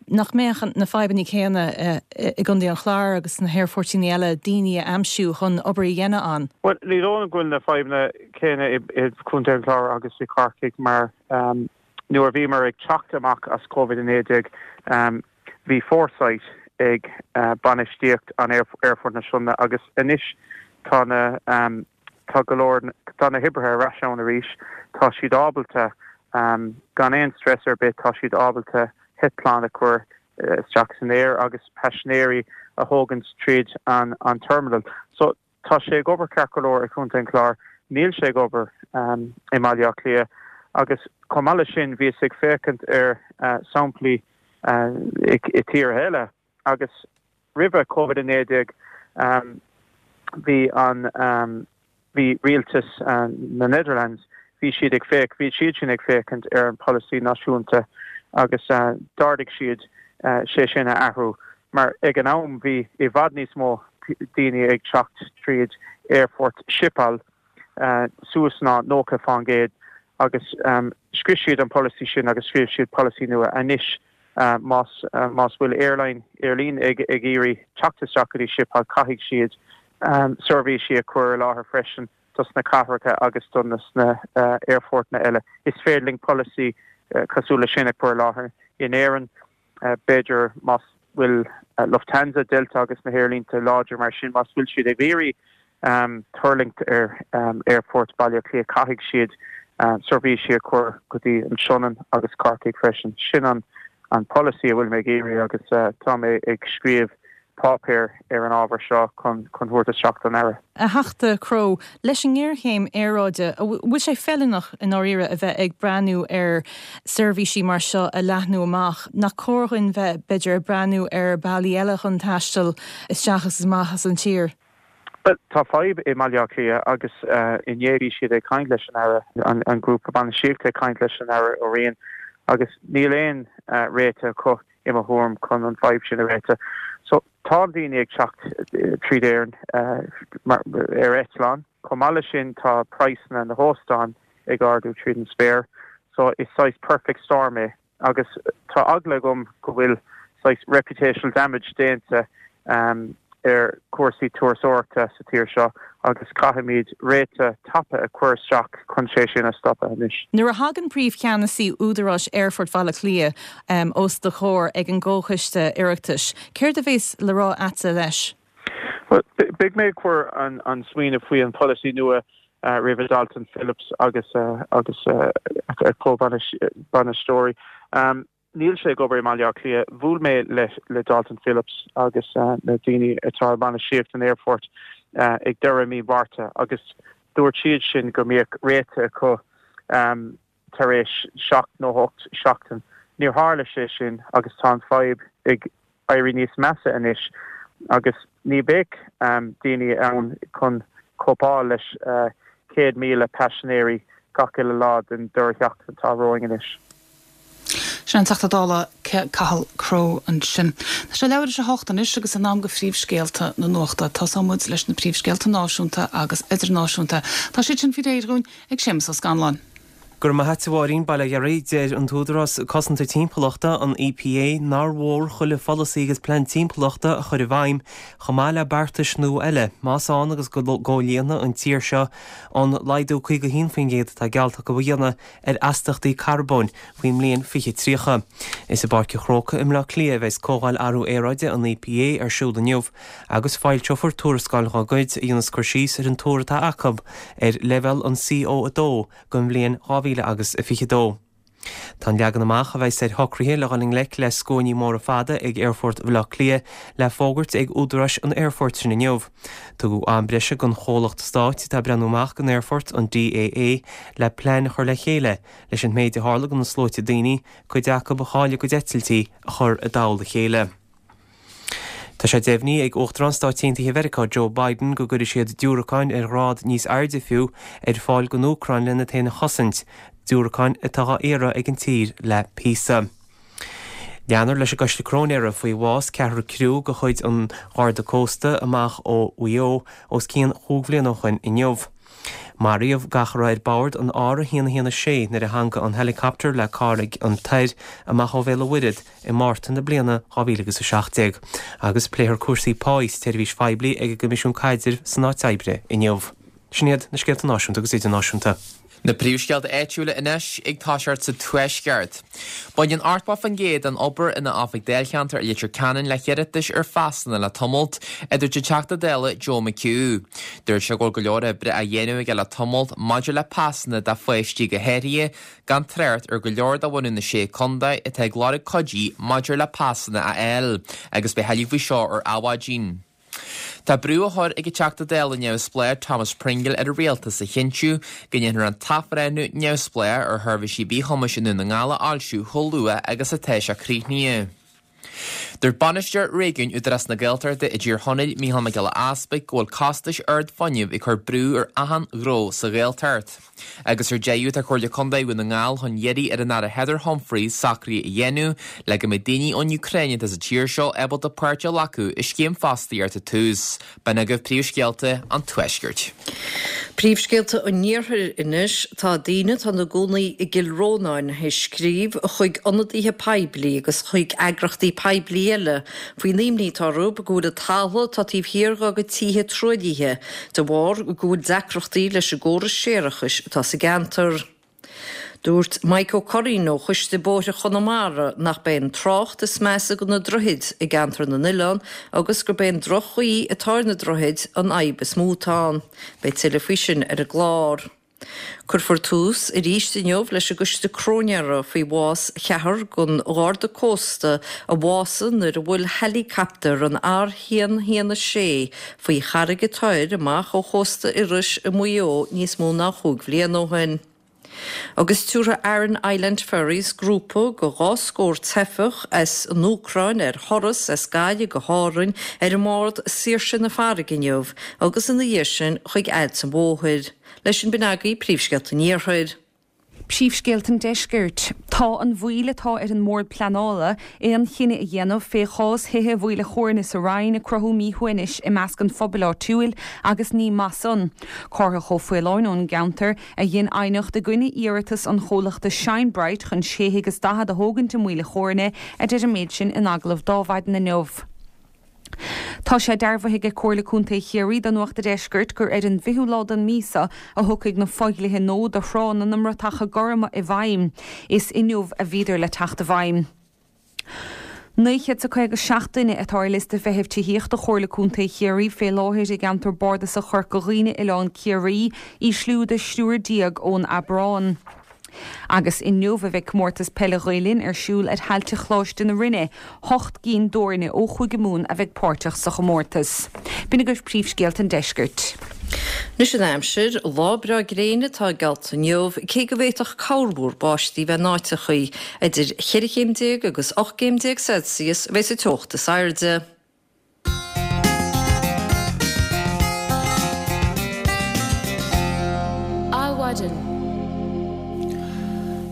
Nach mbeadh na fadhbanna céanna i gContae an Chláir agus sna haerfoirtíní eile, daoine a aimsiú chun obair a dhéanamh ann? Bhuel, ní dóigh liom go bhfuil na fadhbanna céanna i gContae an Chláir agus i Corcaigh mar nuair a bhíomar ag teacht amach as Covid-19 bhí foresight ag bainistíocht an Aerfort na Sionainne agus anois tá na tá go leor tá na hoibrithe ar ais ann arís tá siad ábalta gan aon stress ar bith tá siad ábalta eitleáin a chur isteach san aer agus paisinéirí a thógaint tríd an an terminal. So Tá sé ag obair ceart go leor i Contae an Chláir, níl sé ag obair i mBaile Átha Cliath agus chomh maith leis sin bhíos ag féachaint ar samplaí i tíortha eile agus roimhe Covid-19 bhí an bhí rialtas na Netherlands bhí siad ag féach bhí siad sin ag féachaint ar an polasaí náisiúnta agus d'ardaigh siad sé sin a athrú mar ag an am bhí i bhfad níos mó daoine ag teacht tríd aerfort Schiphol suas ná 90 fán gcéad agus scrios siad an polasaí sin agus scríobh siad polasaí nua anois más más bhfuil airline aerlíne ag ag iarraidh teacht isteach go dtí Schiphol caithfidh siad seirbhísí a chur i láthair freisin dos na cathracha agus do na aerfortanna eile. Is féidir linn polasaí cosúil le sin a chur i láthair in Éirinn. B'fhéidir más bhfuil Lufthansa, Delta agus na haerlínte láidir mar sin, más bhfuil siad ag iarraidh tuirlingt ar Aerfort Bhaile Átha Cliath, caithfidh siad seirbhísí a chur go dtí an Sionainn agus Corcaigh freisin. Sin an polasaí a bhfuil mé ag iarraidh agus tá mé ag scríobh páipéar ar an ábhar seo chun thabhairt isteach don Aire. A Theachta Crowe, leis an ngéarchéim aeráide, an bhfuil sé feiliúnach i ndáiríre a bheith ag breathnú ar seirbhísí mar seo a leathnú amach? Nach cóir dhuinn bheith, b'fhéidir, ag breathnú ar bealaí eile chun taisteal isteach agus amach as an tír? Bhuel, tá fadhb i mBaile Átha Cliath agus inné bhí siad ag caint leis an Aire, an grúpa bainistíochta ag caint leis an Aire Ó Riain agus níl aon réiteach acu i mo thuairim, chun an fadhb sin a réiteach. So, tá daoine ag teacht tríd Éirinn ar eitleán. Chomh maith leis sin, tá praghsanna na hóstán ag ardú tríd an spéir. So, is saghas perfect storm é. Agus tá eagla agam go bhfuil saghas reputational damage déanta ar chúrsaí turasóireachta sa tír seo agus caithfimid réiteach tapa a chur isteach chun sé sin a stopadh anois. Nuair a thagann Príomhcheannasaí Údaráis Aerfort Bhaile Átha Cliath os do chomhair ag an gComhchoiste Oireachtais, céard a bhéas le rá a'dsa leis? Bhuel, beidh mé ag cur an smaoineamh faoi an pholasaí nua roimhe Dalton Phillips agus agus a chomhbhainisteoirí. Níl sé ag obair i mBaile Átha Cliath. Bhuail mé le Dalton Phillips agus na daoine atá i mbainistíocht an aerfoirt ag deireadh mí Mhárta agus dúirt siad sin go mbeadh réiteach acu tar éis 7 nó 8 seachtain. Níor tharla sé sin agus tá an fadhb ag éirí níos measa anois agus ní bheidh daoine ann chun cóipeáil leis 100,000 paisinéirí gach uile lá den deireadh seachtaine atá romhainn anois. Sin an Teachta Dála Cathal Crowe ansin. Tá sé leathuair tar éis a hocht anois agus in am do phríomhscéalta na nuachta. Tosóidh muid leis na príomhscéalta náisiúnta agus idirnáisiúnta. Tá siad sin faoi réir dhúinn ag Séamus Ó Scanláin. Go raibh maith a't a Mháirín, Bail ó Dhia oraibh. Deir an tÚdarás Cosanta Timpeallachta, an EPA, nár mhór chuile pholasaí agus plean timpeallachta a chur i bhfeidhm, chomh maith le beartais nua eile, más ann agus go gcomhlíonfaidh an tír seo an laghdú 51% atá geallta acu a dhéanamh ar astaíochtaí carbóin faoin mbliain 2030. Is i bPáirc an Chrócaigh i mBleá Cliath a bheas Comhdháil Athrú Aeráide an EPA ar siúl inniu agus foilseofar tuarascáil dá gcuid a dhéanas cur síos ar an tuar atá acu ar leibhéal an CO2 don bhliain 2022. Tá an leagan amach a bheas ar shocruithe le dhul i ngleic le scuainí móra fada ag Aerfort Bhaile Átha Cliath le fógairt ag údaráis an aerfoirt sin inniu. Tugadh am breise don chomhlacht stáit atá ag breathnú amach don aerfort, an DAA, le plean a chur le chéile leis an méid a tharla do na sluaite daoine, cuid acu a chaill a gcuid eitiltí, a chur i dtoll a chéile. Tá sé deimhnithe ag Uachtarán Stáit Aontaithe Mheiriceá Joe Biden go gcuirfidh siad diúracáin ar ghrád níos airde fiú ar fáil don Úcráin lena féin a chosaint, diúracáin atá á iarraidh ag an tír le píosa. Leanfar leis an gcoiste cróinéara faoi bhás ceathrar criú de chuid an Gharda Cósta amach ó Mhaigh Eo os cionn chúig bhliana ó shoin inniu. Maraíodh gach a raibh ar bord an R116 nuair a theangaigh an helicopter le Carraig an Toir amach ó Bhéal an Mhuirthead i Márta na bliana 2017 agus pléifear cúrsaí páí sa tseirbhís phoiblí ag an gCoimisiún Caidrimh san Áit Oibre inniu. Sin iad na scéalta náisiúnta agus idirnáisiúnta. Na príomhscéalta áitiúla anois ag toiseacht sa Tuaisceart. Baineann 80% den obair ina oifig dáilcheantair i Leitir Ceanainn le hiarratais ar phasanna le tamalt, a dúirt an Teachta Dála Joe McHugh. Dúirt sé go bhfuil go leor oibre á dhéanamh aige le tamalt maidir le pasanna do pháistí go háirithe, gan trácht ar go leor de bhunadh na Sé Contae atá ag lorg cuidí maidir le pasanna a fháil, agus beidh tuilleadh faoi seo ar Adhmhaidin. Tá brú á chur ag an Teachta Dála neamhspleách Thomas Pringle ar an Rialtas a chinntiú go ndéanfar an t-athbhreithniú neamhspleách ar sheirbhísí mhíchumais i nDún na nGall a fhoilsiú chomh luath agus atá sé críochnaithe. Dúirt Bainisteoir Réigiúin Údarás na Gaeltachta i dTír Chonaill, Mícheál Mac Giolla Easpaig, go bhfuil costais ard fuinnimh ag cur brú ar achan ghnó sa Ghaeltacht. Agus ar deireadh, tá Comhairle Contae Dhún na nGall chun iarraidh ar an Aire Heather Humphreys socruithe a dhéanamh le go mbeidh daoine ón Úcráin atá sa tír seo ábalta páirt a ghlacadh i scéim fostaíochta Tús. B'in agaibh príomhscéalta an Tuaiscirt. Príomhscéalta an Iarthair anois. Tá daoine atá ina gcónaí i gCill Rónáin théis scríobh chuig ionadaithe poiblí agus chuig eagrachtaí poiblí eile faoin imní atá orthu go bhfuil an talamh atá taobh thiar dá gcuid tithe truaillithe de bharr go bhfuil deacrachtaí leis an gcóras séarachais atá sa gceantar. Dúirt Mike Ó Curraoin ó Choiste Bóithre Chonamara nach b'é an trácht is measa do na droichid i gCeantar na nOileán agus gurb é an droch-chaoi atá ar na droichid an fhadhb is mó atá ann. Beidh tuilleadh faoi sin ar an gclár. Cuirfear tús arís inniu leis an gcoiste cróinéara faoi bhás cheathrar den Gharda Cósta a bhásaigh nuair a bhuail heileacaptar an R116 faoi Charraig an Toir amach ó chósta Iorrais i Maigh Eo níos mó ná chúig bhliain ó shin. Agus tabharfaidh Aran Island Ferries grúpa de dhá scór teifeach as an Úcráin ar thuras as Gaillimh go hÁrainn ar an mbád Saoirse na Farraige inniu agus ina dhiaidh sin chuig Ailt an Mhóthair. Leis sin b'in agaibh príomhscéalta an Iarthair. Príomhscéalta an Deiscirt. Tá an mhoill atá ar an mBord Pleanála aon chinneadh a dhéanamh fé chás thithe Mhaoil a' Chóirne sa Rinn ag cruthú míshuaimhnis i measc an phobail áitiúil agus ní maith san. Cárthach Ó Faoláin ón gceantar a dhein aighneacht i gcoinne iarratas an chomhlachta Shine Bright chun sé thigh is 40 a thógaint i Maoil a' Chóirne a deir an méid sin in agallamh d'Adhmhaidin inniu. Tá sé dearbhaithe aige Comhairle Contae Chiarraí do Nuacht a' Deiscirt gur ar an bhfichiú lá den mhí seo a thiocfaidh na fodhlíthe nua do thránna na mBratacha Gorma i bhfeidhm. Is inniu a bhíodar le teacht i bhfeidhm. 957 duine atá ar liosta feithimh tithíochta Chomhairle Contae Chiarraí fé láthair i gceantar bardasach Chorca Dhuibhne, Oileán Ciarraí, ísliú de thriúr ón Aibreán. Agus inniu a bheidh Comórtas Peile Ghael Linn ar siúl ar thailte Choláiste na Rinne. Hocht gcinn d'fhoirne ó Chúige Mumhan a bheidh páirteach sa chomórtas. B'in agaibh príomhscéalta an deiscirt. Anois an aimsir, lá breá gréine atá geallta inniu, cé go bhféadfadh corrmhúr báistí bheith in áiteachaí. Idir cheithre chéim déag agus 18 gcéim Celsius a bheidh sa teocht is airde. Adhmhaidin.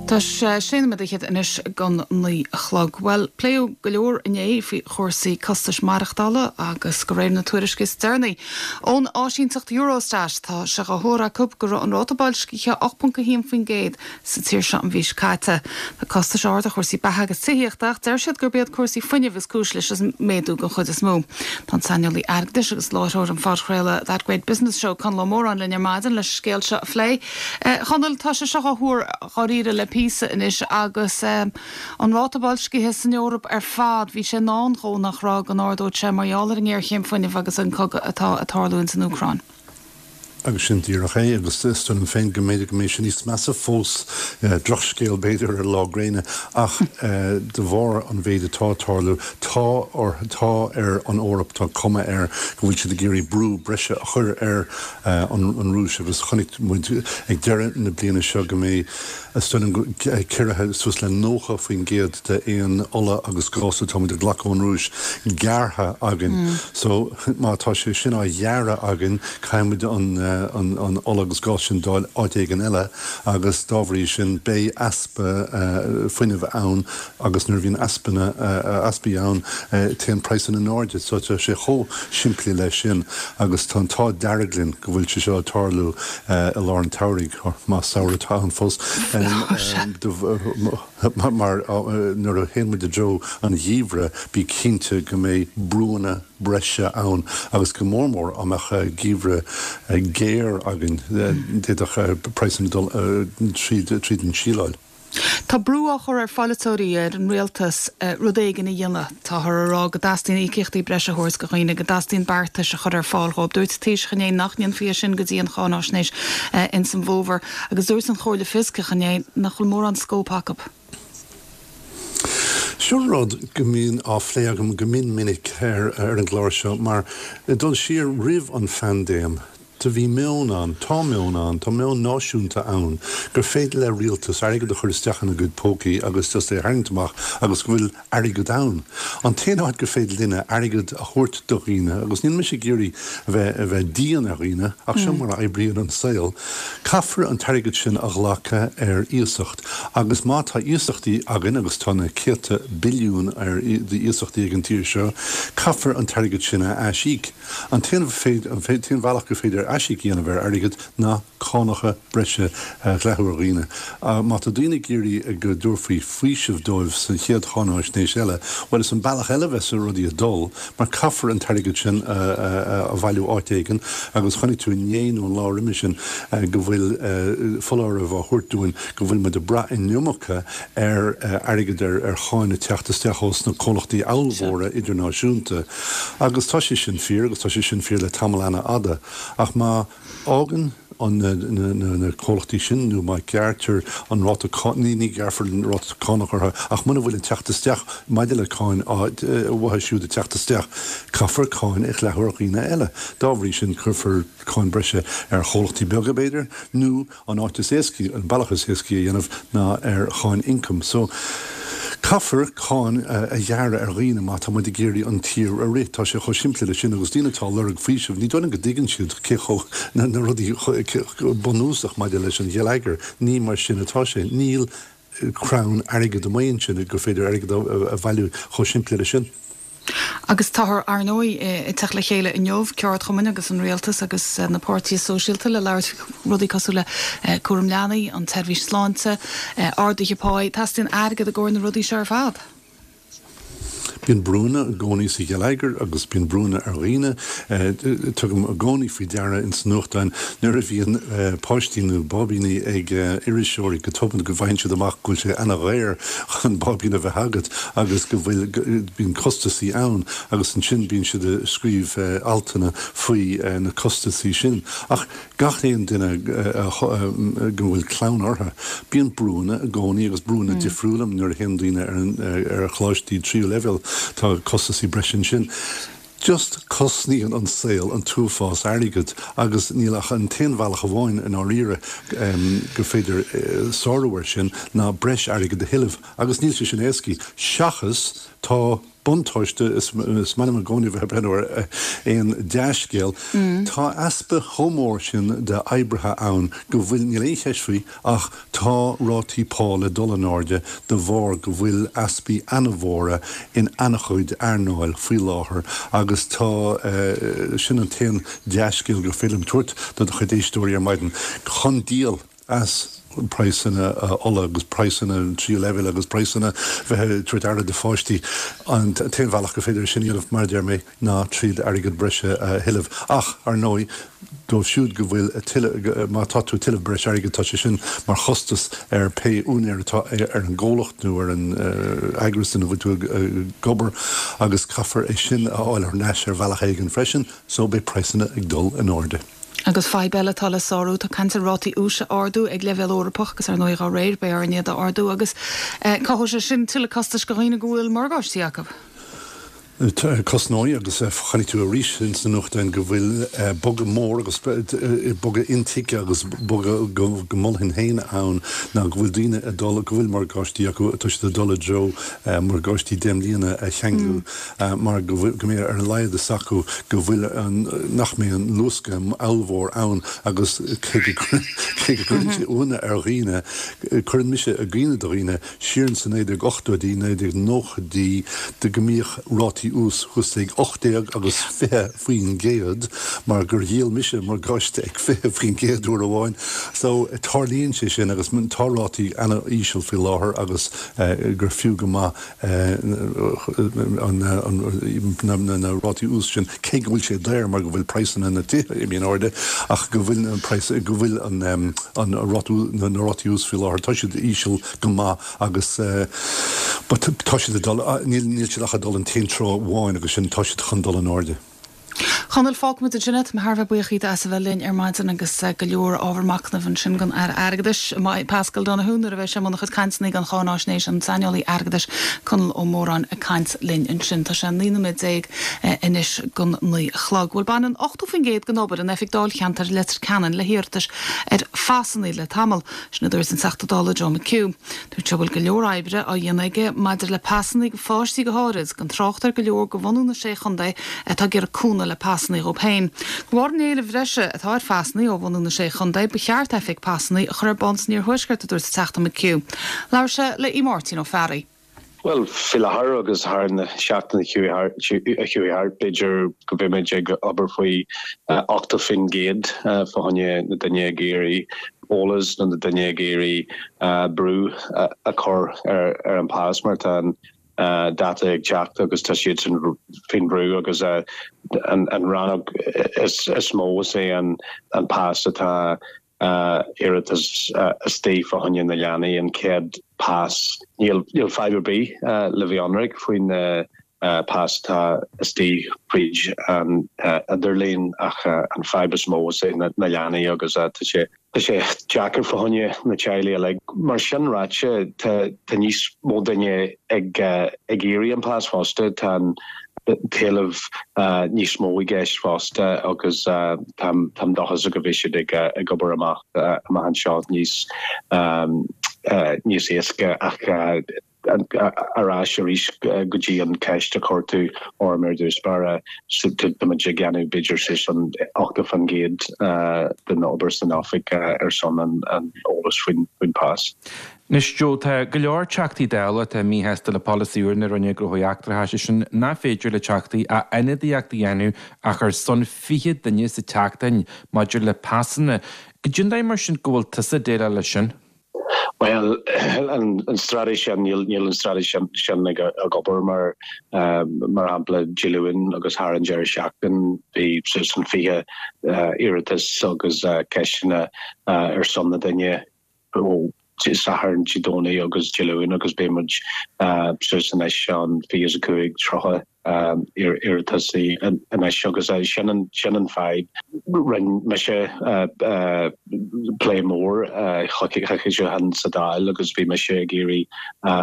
Tá sé sé nóiméad fhichead anois don 9 a chlog. Bhuel, pléadh go leor inné faoi chúrsaí costais maireachtála agus de réir na tuairisce is deireanaí ón áisínteacht Eurostat, tá sé á thuar acu go raibh an ráta boilscithe 8.1% sa tír seo an mhí seo caite. Tá costais arda ar chúrsaí beatha agus tithíochta ach deir siad gurb iad cúrsaí fuinnimh is cúis leis an méadú den chuid is mó. Tá an saineolaí airgeadais agus láithreoir an phodchraoladh That Great Business Show, Conall Ó Móráin linn ar maidin leis an scéal seo a phlé. A Chonaill, tá sé seo á thuar dháiríre le píosa anois agus an ráta boilscithe san Eoraip ar fad, bhí sé i ndán dhó nach raibh, go n-ardódh sé mar gheall ar an ngéarchéim fuinnimh agus an cogadh atá ag tarlú ins an Úcráin. Agus sin díreach é, agus is dóigh liom féin go mb'fhéidir go mbeidh sé níos measa fós, drochscéal b'fhéidir ar lá gréine, ach de bharr an mhéid atá ag tarlú, tá or, tá ar an Eoraip, tá cuma air go bhfuil siad ag iarraidh brú breise a chur ar an Rúis agus chonaic muid ag deireadh na bliana seo go mbeidh, Is dóigh liom go ciorruithe suas le 90% de aon ola agus gás atá muid ag glacadh ón Rúis gearrtha againn. So má tá sé sin á ghearradh againn, caithfidh muid an ola agus gás sin d'fháil áit éigin eile agus dá bhrí sin beidh easpa fuinnimh ann agus nuair a bhíonn easpanna, easpaí ann, téann praghsanna in airde. So tá sé chomh simplí leis sin agus tá an t-ádh dearg linn go bhfuil sé seo ag tarlú i lár an tsamhraidh, más samhradh atá ann fós, mar nuair a théann muid i dtreo an gheimhridh, bí cinnte go mbeidh brúanna breise ann agus go mór mór dá mbeadh geimhreadh géar againn, d'fhéadfadh praghsanna dul tríd an tsíleáil. Tá brú á chur ar pholaiteoirí, ar an rialtas, rud éigin a dhéanamh. Táthar a rá go dteastaíonn íocaíochtaí breise a thabhairt do dhaoine, go dteastaíonn beartais a chur ar fáil dhóibh. Dúirt an Taoiseach inné nach ndéanfaí é sin go dtí an cháináisnéis ins an bhfómhar. Agus dúirt an Chomhairle Fioscach inné nach bhfuil mórán scóip acu. Seo rud go mbíonn á phlé agam go mion minic ar an gclár seo mar, ag dul siar roimh an phaindéim, Do bhí meon ann, tá meon ann, tá meon náisiúnta ann gur féidir le rialtas airgead a chur isteach ina gcuid pócaí agus just é a tharraingt amach agus go bhfuil airgead ann. An t-aon áit gur féidir linne airgead a thabhairt do dhaoine, agus níl mise ag iarraidh a bheith a bheith dian ar dhaoine ach seo mar a oibríonn an saol, caithfear an t-airgead sin a ghlacadh ar iasacht agus má tá iasachtaí againn, agus tá na céadta billiún ar d'iasachtaí ag an tír seo, caithfear an t-airgead sin a aisíoc. An t-aon bhealach gur féidir aisíoc a dhéanamh ar airgead ná cánacha breise a dhleathú ar dhaoine. Má tá daoine ag iarraidh go dtabharfaí faoiseamh dóibh sa chéad cháináisnéis eile, bhuel is an bealach eile a bheas rudaí ag dul mar caithfear an t-airgead sin a bhailiú áit éigin agus chonaic tú inné nó an lá roimhe sin go bhfuil foláireamh á thabhairt dúinn go bhfuil muid ag brath an iomarca ar airgead ar cháin ag teacht isteach ós na comhlachtaí ollmhóra idirnáisiúnta. Agus tá sé sin fíor, agus tá sé sin fíor le tamall ana-fhada. Ach má fhágann an na comhlachtaí sin, nó má ghearrtar an ráta ní ní ghearrfar an ráta cánach orthu, ach muna bhfuil an teacht isteach maidir le cáin uathu siúd ag teacht isteach, caithfear cáin a dhleathú ar dhaoine eile. Dá bhrí sin, cuirfear cáin breise ar chomhlachtaí beaga, b'fhéidir, nó An áit is éascaí, an bealach is éascaí a dhéanamh ná ar cháin ioncaim. So, caithfear cáin a ghearradh ar dhaoine má tá muid ag iarraidh an tír a rith. Tá sé chomh simplí leis sin agus daoine atá ag lorg faoisimh, ní dóigh liom go dtuigeann siad cé chomh, na rudaí bunúsach maidir leis an gheilleagar. Ní mar sin atá sé. Níl crann airgid amuigh ansin gur féidir airgead a bhailiú chomh simplí leis sin. Agus táthar, ar ndóigh, ag teacht le chéile inniu, ceardchumainn agus an rialtas agus na páirtithe sóisialta le labhairt faoi rudaí cosúil le cúram leanaí, an tseirbhís sláinte, arduithe páí. Teastaíonn airgead i gcomhair na rudaí seo ar fad. Bíonn brúnna i gcónaí sa gheilleagar agus bíonn brúnna ar dhaoine. Tugaim i gcónaí faoi deara ins na nuachtáin nuair a bhíonn páistí nó báibíní ag iriseoirí go tobann go bhfaigheann siad amach go bhfuil sé ana-dhaor chun báibín a bheith agat agus go bhfuil, bíonn costasaí ann agus ansin bíonn siad ag scríobh altanna faoi na costasaí sin. Ach Gach aon duine go bhfuil clann orthu, bíonn brúanna i gcónaí agus brúanna difriúla nuair a théann daoine ar choláistí tríú leibhéal, tá costasaí breise ansin. Just cosnaíonn an saol an t-uafás airgid agus níl ach an t-aon bhealach amháin i ndáiríre gur féidir sárú air sin ná breis airgid a thuilleamh agus níl sé sin éascaí seachas tá. Buntáiste, is maith liom i gcónaí a bheith ag breathnú ar aon dea-scéal, tá easpa chomh mór sin d'oibrithe ann go bhfuil, níl aon cheist faoi ach tá rátaí pá le dul in airde de bharr go bhfuil easpaí ana-mhóra in ana-chuid earnáil faoi láthair agus tá, sin an t-aon dea-scéal gur féidir liom tabhairt do do chuid éisteoirí ar maidin, chun díol as praghsanna ola agus praghsanna tríú leibhéal agus praghsanna bheith ag tabhairt aire do pháistí. An t-aon bhealach gur féidir é sin a dhéanamh, mar a deir mé, ná tríd airgead breise a thuilleamh. Ach, ar ndóigh, dóibh siúd go bhfuil ag tuilleamh, má tá tú ag tuilleamh breis airgid, tá sé sin mar chostas ar pé úinéir atá ar an gcomhlacht nó ar an eagras ina bhfuil tú ag obair agus caithfear é sin a fháil ar ais ar bhealach éigin freisin, so beidh praghsanna ag dul in airde. Agus fadhb eile atá le sárú, tá caint ar rátaí úis a ardú ag leibhéal Eorpach agus ar ndóigh dá réir beidh orainn iad a ardú agus cothóidh sé sin tuilleadh costais do dhaoine go bhfuil morgáistí acu. Cosnóidh agus chonaic tú arís ins na nuachtáin go bhfuil bogadh mór agus bogadh intuigthe agus bogadh go mholfainn féin ann ná go bhfuil daoine ag dul, go bhfuil morgáistí acu, tá siad ag dul i dtreo morgáistí 10 mbliana a cheanglú. mar go mbeidh ar a laghad fhios acu go bhfuil an, nach mbeidh an luascadh ollmhór ann agus cé go gcuireann sé ionadh ar dhaoine, cuireann mise i gcuimhne do dhaoine, siar ins na 1980idí, 1990idí, de go mbíodh rátaí ús thuas ag 18 agus 20% mar gur dhíol mise morgáiste ag 20% uair amháin. So, tarlaíonn sé sin agus tá rátaí ana-íseal faoi láthair agus gur fiú go maith na rátaí ús sin, cé go bhfuil sé daor mar go bhfuil praghsanna na tithe imithe in airde, ach go bhfuil an praghas, go bhfuil an ráta, na rátaí ús faoi láthair, tá siad íseal go maith agus but tá siad ag dul, níl siad ach ag dul an t-aon treo amháin agus sin, tá siad chun dul in airde. Chonaill, fágfaimid ansin é. Tá mé thar a bheith buíoch díot as a bheith linn ar maidin agus go leor ábhar machnaimh ansin don Aire Airgeadais, Paschal Donohoe, nuair a bheidh sé i mbun a chuid cainteanna don cháináisnéis, an saineolaí airgeadais Conall Ó Móráin ag caint linn ansin. Tá sé 19 nóiméad anois don 9 a chlog. Bhuel, baineann 80% den obair in oifig dáilcheantair Leitir Ceanainn le hiarratais ar phasanna le tamall. Sin a dúirt an Teachta Dála Joe McHugh. Dúirt sé go bhfuil go leor oibre á dhéanamh aige maidir le pasanna do pháistí go háirid, gan trácht ar go leor de bhunú na Sé Chontae atá ag iarraidh cúnamh le pasanna dhóibh féin. De bharr an éilimh bhreise atá ar phasanna ó bhunú na Sé Chontae, ba cheart oifig pasanna a chur ar bun san iarthuaisceart, a dúirt an Teachta McHugh. Labhair sé le Aodh Máirtín Ó Fearraigh. Bhuel, faoi láthair agus thar na seachtaine a chuaigh thart, b'fhéidir go mbeimid ag obair faoi 80% fá choinne na duine ag iarraidh eolas nó na duine ag iarraidh brú a chur ar an pas mar tá an dáta ag teacht agus tá siadsan faoin bhrú agus an rannóg is mó is é an pas atá iarratas istigh fá choinne na leanaí, an chéad pas. Níl fadhb ar bith le bheith ionraic faoin pas atá istigh fríd an idirlíon ach an fadhb is mó is é na leanaí agus tá sé tá sé deacair fá choinne na teaghlaigh uilig. Mar sin ráite tá níos mó duine ag ag iarraidh an pas fosta. Tá an t-éileamh níos mó i gceist fosta agus táim dóchasach go mbeidh siad ag obair amach amach anseo níos níos éasca ach ar ais arís go dtí an ceist a chuir tú orm ar dtús báire, táimid ag déanamh b'fhéidir suas an 80% den obair san oifig ar son an eolas faoin pas. Anois, Joe, tá go leor Teachtaí Dála atá míshásta le polasaí úr na Roinne Gnóthaí Eachtracha, sé sin nach féidir le Teachtaí ach ionadaíocht a dhéanamh ach ar son 20 duine sa tseachtain maidir le pasanna. Goidé an dóigh mar sin go bhfuil tusa ag déileáil leis sin? Bhuel, an straitéis sin, níl an straitéis sin ag obair mar, mar shampla, Dé Luain agus thar an deireadh seachtain bhí suas an 20 iarratas agus ceisteanna ar son na duine ó Dé Sathairn, Dé Domhnaigh agus Dé Luain agus beidh muid suas anois an 25, 30 iarratas anois agus sin an sin an fadhb. Rinne mise plé mór coicís ó shin sa Dáil agus bhí mise ag iarraidh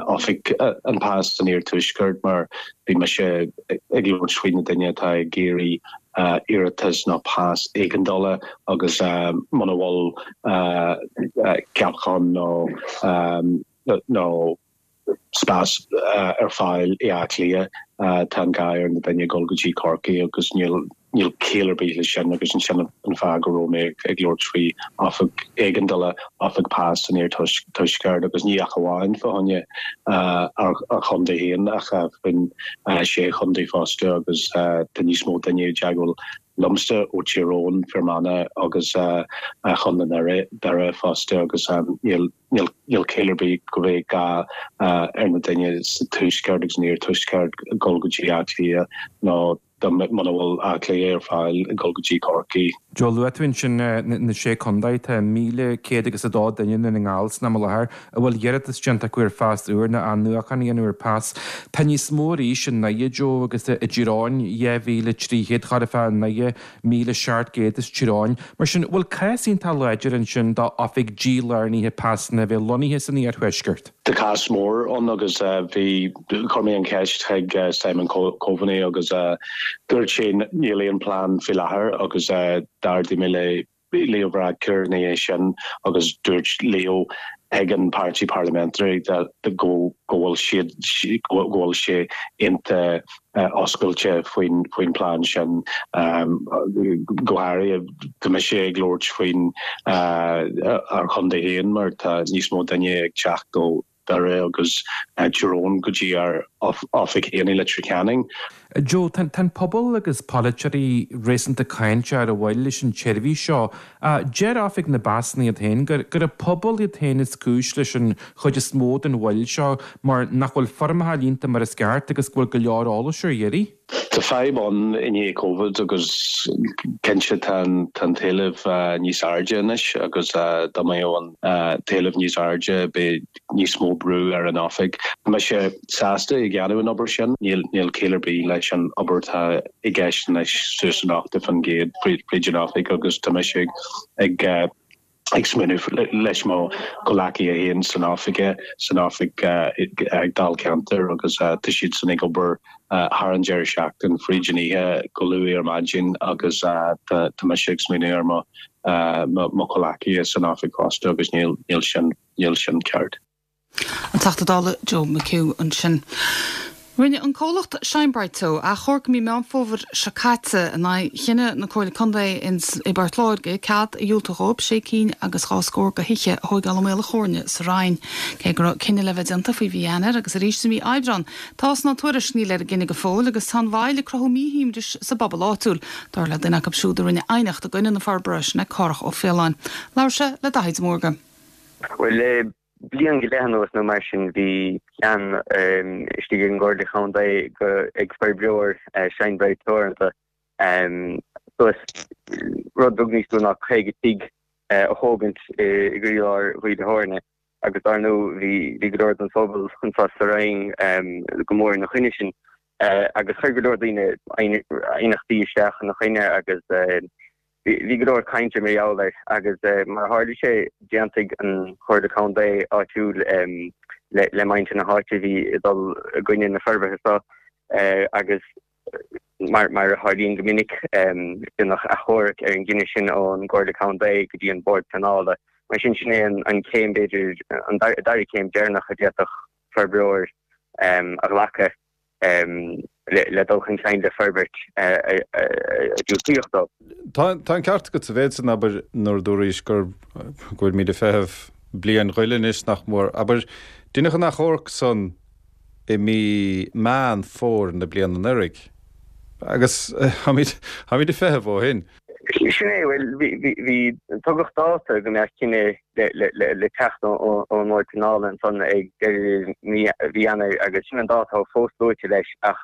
oifig an pas san iarthuaisceart mar bhí mise ag labhairt faoi na duine atá ag iarraidh iarratas nó pas éigeandála agus muna bhfuil ceapachán nó nó. spás ar fáil i Áth Cliath, tá an gá ar na duine dul go dtí Corcaigh agus níl níl ciall ar bith leis sin agus ansin an fáth go raibh mé ag labhairt faoi oifig éigeandála, oifig pas san iarthuaisceart agus ní ach amháin fá choinne ár chontae féin ach faoin sé chontae fosta agus tá níos mó duine i dteagmháil liomsa ó Tír Eoghain, Fear Manach agus Chontae Dhoire fosta agus níl níl ciall ar bith go mbeidh gá ar na duine sa tuaisceart agus san iarthuaisceart dul go dtí Áth Cliath nó muna bhfuil Áth Cliath ar fáil dul go dtí Corcaigh. Joe, luaigh tú ansin na sé contae, tá 1,100 agus 2 duine i nDún na nGall san am i láthair a bhfuil iarratas déanta acu ar phas úr nó athnuachan a dhéanamh ar phas. Tá níos mó arís i nDoire, Joe, agus i dTír Eoghain, 2,300 chóir a bheith i nDoire, 1,700 is Tír Eoghain. Mar sin, bhfuil cás iontach láidir ansin d'oifig dílárnaithe pasanna a bheith lonnaithe san iarthuaisceart? Tá cás mór ann agus bhí, chuir mé an cheist chuig Simon Coveney agus dúirt sé níl aon plean faoi láthair agus d'ardaigh mé le Leo Varadkar ina dhiaidh sin agus dúirt Leo ag an páirtí parliamentary go bhfuil siad, go bhfuil sé iontach oscailte faoin phlean sin. Go háirithe tá mise ag labhairt faoin ár chontae féin mar tá níos mó duine ag teacht ó Dhoire agus Tír Eoghain go dtí ár oifig féin i Leitir Ceanainn. Joe, tá an pobal agus polaiteoirí réasúnta cáinteach ar an mhoill leis an tseirbhís seo. Deir Oifig na bPasanna iad féin gur an pobal iad féin is cúis leis an chuid is mó den mhoill seo mar nach bhfuil foirmeacha líonta mar is ceart agus go bhfuil go leor eolais ar iarraidh. Tá fadhb ann i ndiaidh Covid agus cinnte tá an t-éileamh níos airde anois agus dá mbeadh an t-éileamh níos airde beidh níos mó brú ar an oifig. Tá mise sásta ag déanamh an obair sin. Níl ciall ar bith leis an obair atá i gceist anois suas an 80% fríd an oifig agus tá mise ag ag smaoineamh leis mo chomhleacaithe féin san oifig, san oifig ag Dáilcheantar agus tá siadsan ag obair thar an deireadh seachtain, fríd an oíche go luath ar maidin agus tá mise ag smaoineamh ar mo mo chomhleacaithe san oifig fosta agus níl sin níl sin ceart. An Teachta Dála Joe McHugh ansin. Rinne an comhlacht Shine Bright Teo achomharc mí Meán Fómhair seo caite in aghaidh chinneadh na Comhairle Contae i bPort Láirge cead a dhiúltú dhóibh sé cinn agus dhá scór de thithe a thóigeáil i Maol a' Chóirne sa Rinn. Cé go raibh cinneadh le bheith déanta faoi mhí Eanáir agus arís i mí Aibreán, tá fhios ná tuairisc níl ar an gcinneadh go fóill agus tá an mhoill ag cruthú míshuaimhnis sa bpobal áitiúil, dar le duine acu siúd a rinne aighneacht i gcoinne na forbartha, sin é Cárthach Ó Faoláin. Labhair sé le Daithí de Mórdha. Bhuel, le bliain go leith anuas nó mar sin, bhí plean istigh ag an gComhairle Chontae go ag forbróir Shine Bright Teoranta suas rud beag níos lú ná 50 tigh a thógaint i gcroílár Mhaoil a' Chóirne agus dar ndóigh bhí bhí go leor den phobal anseo sa Rinn go mór ina choinne sin agus chuir go leor daoine aighneachtaí isteach ina choinne agus Bhí go leor cainte mar gheall air agus mar a tharla sé d'aontaigh an Chomhairle Contae áitiúil le muintir na háite a bhí ag dul i gcoinne na forbartha seo agus mar a tharlaíonn go minic déanadh achomharc ar an gcinneadh sin ón gComhairle Contae go dtí an Bord Pleanála. Mar sin, sin é an chéim b'fhéidir, an dara céim deireanach a d'fhéadfadh forbróir a ghlacadh. le dul chun cinn le forbairt a diúltaíodh dó. Tá an ceart agat sa mhéid san, abair, nuair a dúraís gur, go bhfuilimid ag feitheamh bliain ghoile anois, nach mór. Abair, deineadh an achomharc san i mí Meán Fómhair na bliana anuraidh, agus táimid, táimid ag feitheamh ó shin. Sin é, bhuel, bhí, bhí, tugadh dáta go mbeadh cinneadh le teacht ón mBord Pleanála ansan ag deireadh mhí Eanáir agus sin an dáta atá fós luaite leis ach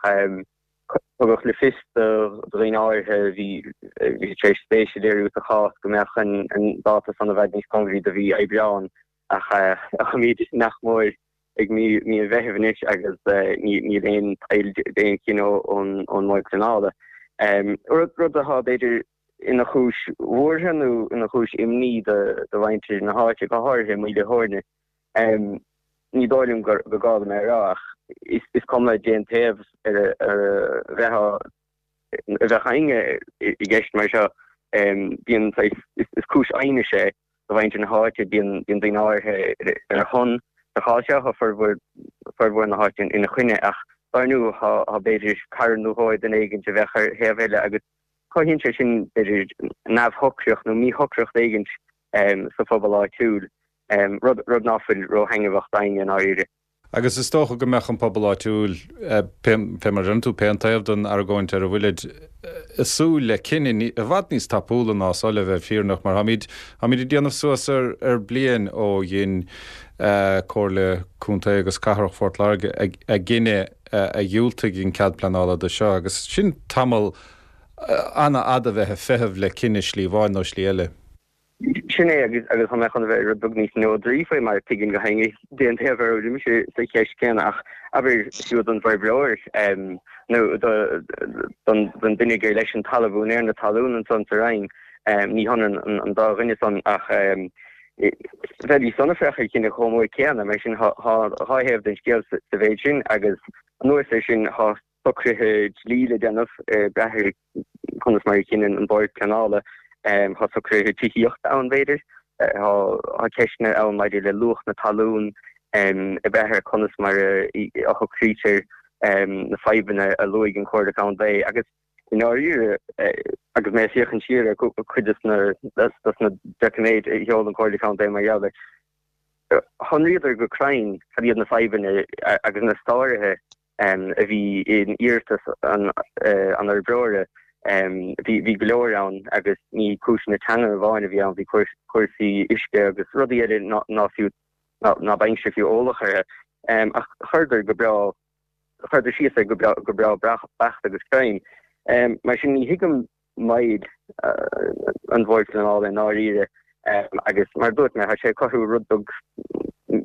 tugadh le fios do dhaoine áirithe a bhí tar éis spéis a léiriú sa chás go mbeadh an dáta san i bhfad níos cóngaraí do mhí Aibreáin ach táimid nach mór ag mí an Mheithimh anois agus níl aon tsail d'aon chinneadh ón mBord Pleanála. Rud atá b'fhéidir ina chúis bhuartha nó ina chúis imní do mhuintir na háite, go háirithe i Maoil a' Chóirne. Ní dóigh liom gur gá dom é a rá ach is cuma cén taobh ar a bheifeá, a bheadh éinne i gceist mar seo, bíonn saghas, is cúis aighnis é do mhuintir na háite, bíonn daoine áirithe ar a shon. Sa chás seo, tá formhór. formhór na háite ina choinne ach dar ndóigh tá b'fhéidir cara nó dhó ag duine éigint a bheadh ar thaobh eile agus cothaíonn sé sin b'fhéidir neamhshocracht nó míshocracht éigint sa phobal áitiúil, rud rud ná fuil róthaitneamhach d'éinne i ndáiríre. Agus is dócha go mbeadh an pobal áitiúil, pé mar a deireann tú, pé an taobh den argóint ar a bhfuilid, ag súil le cinneadh i bhfad níos tapúla ná so le bheith fírinneach, mar táimid, táimid ag déanamh suas ar ar bliain ó dhein Comhairle Contae agus Cathrach Phort Láirge a gcinneadh a dhiúltaigh an cead pleanála do seo, agus sin tamall an-fhada bheith ag feitheamh le cinneadh slí amháin nó slí eile. Sin é, agus agus tá mé chun a bheith rud beag níos neodraí faoi mar tuigim go héinne cén taobh ar a bhfuil mise sa cheist céanna ach abair fiú don bhforbróir nó don don duine gur leis an talamh úinéir na talún ansan sa Rinn ní hionann an dá dhuine san ach bheidís san ag féachaint ar chinneadh chomh mór céanna mar sin tá dhá thaobh den scéal sa mhéid sin agus anuas air sin tá socruithe dlí le déanamh ag brath ar conas mar a chinneann an Bord Pleanála. Tá socruithe tithíochta ann, b'fhéidir. Tá ceisteanna ann maidir le luach na talún, ag brath ar conas mar a shocraítear na fadhbanna a luaigh an Chomhairle Contae. Agus i ndáiríre, agus mé ag féachaint siar ar chuid de na doiciméid a sheol an Chomhairle Contae mar gheall air, shonraíodar go cruinn cad iad na fadhbanna agus na sáruithe a bhí in iarratas an fhorbróra. Bhí go leor ann agus ní cúiseanna teanga amháin a bhí ann, bhí cúrsaí uisce agus rudaí eile ná fiú, ná beinnse fiú eolach orthu. Ach chuireadar go breá, chuireadar síos air go breá beacht agus cruinn. Mar sin ní thuigim moill an Bhoird Phleanála i ndáiríre agus mar a dúirt mé, tá sé ag cothú rud beag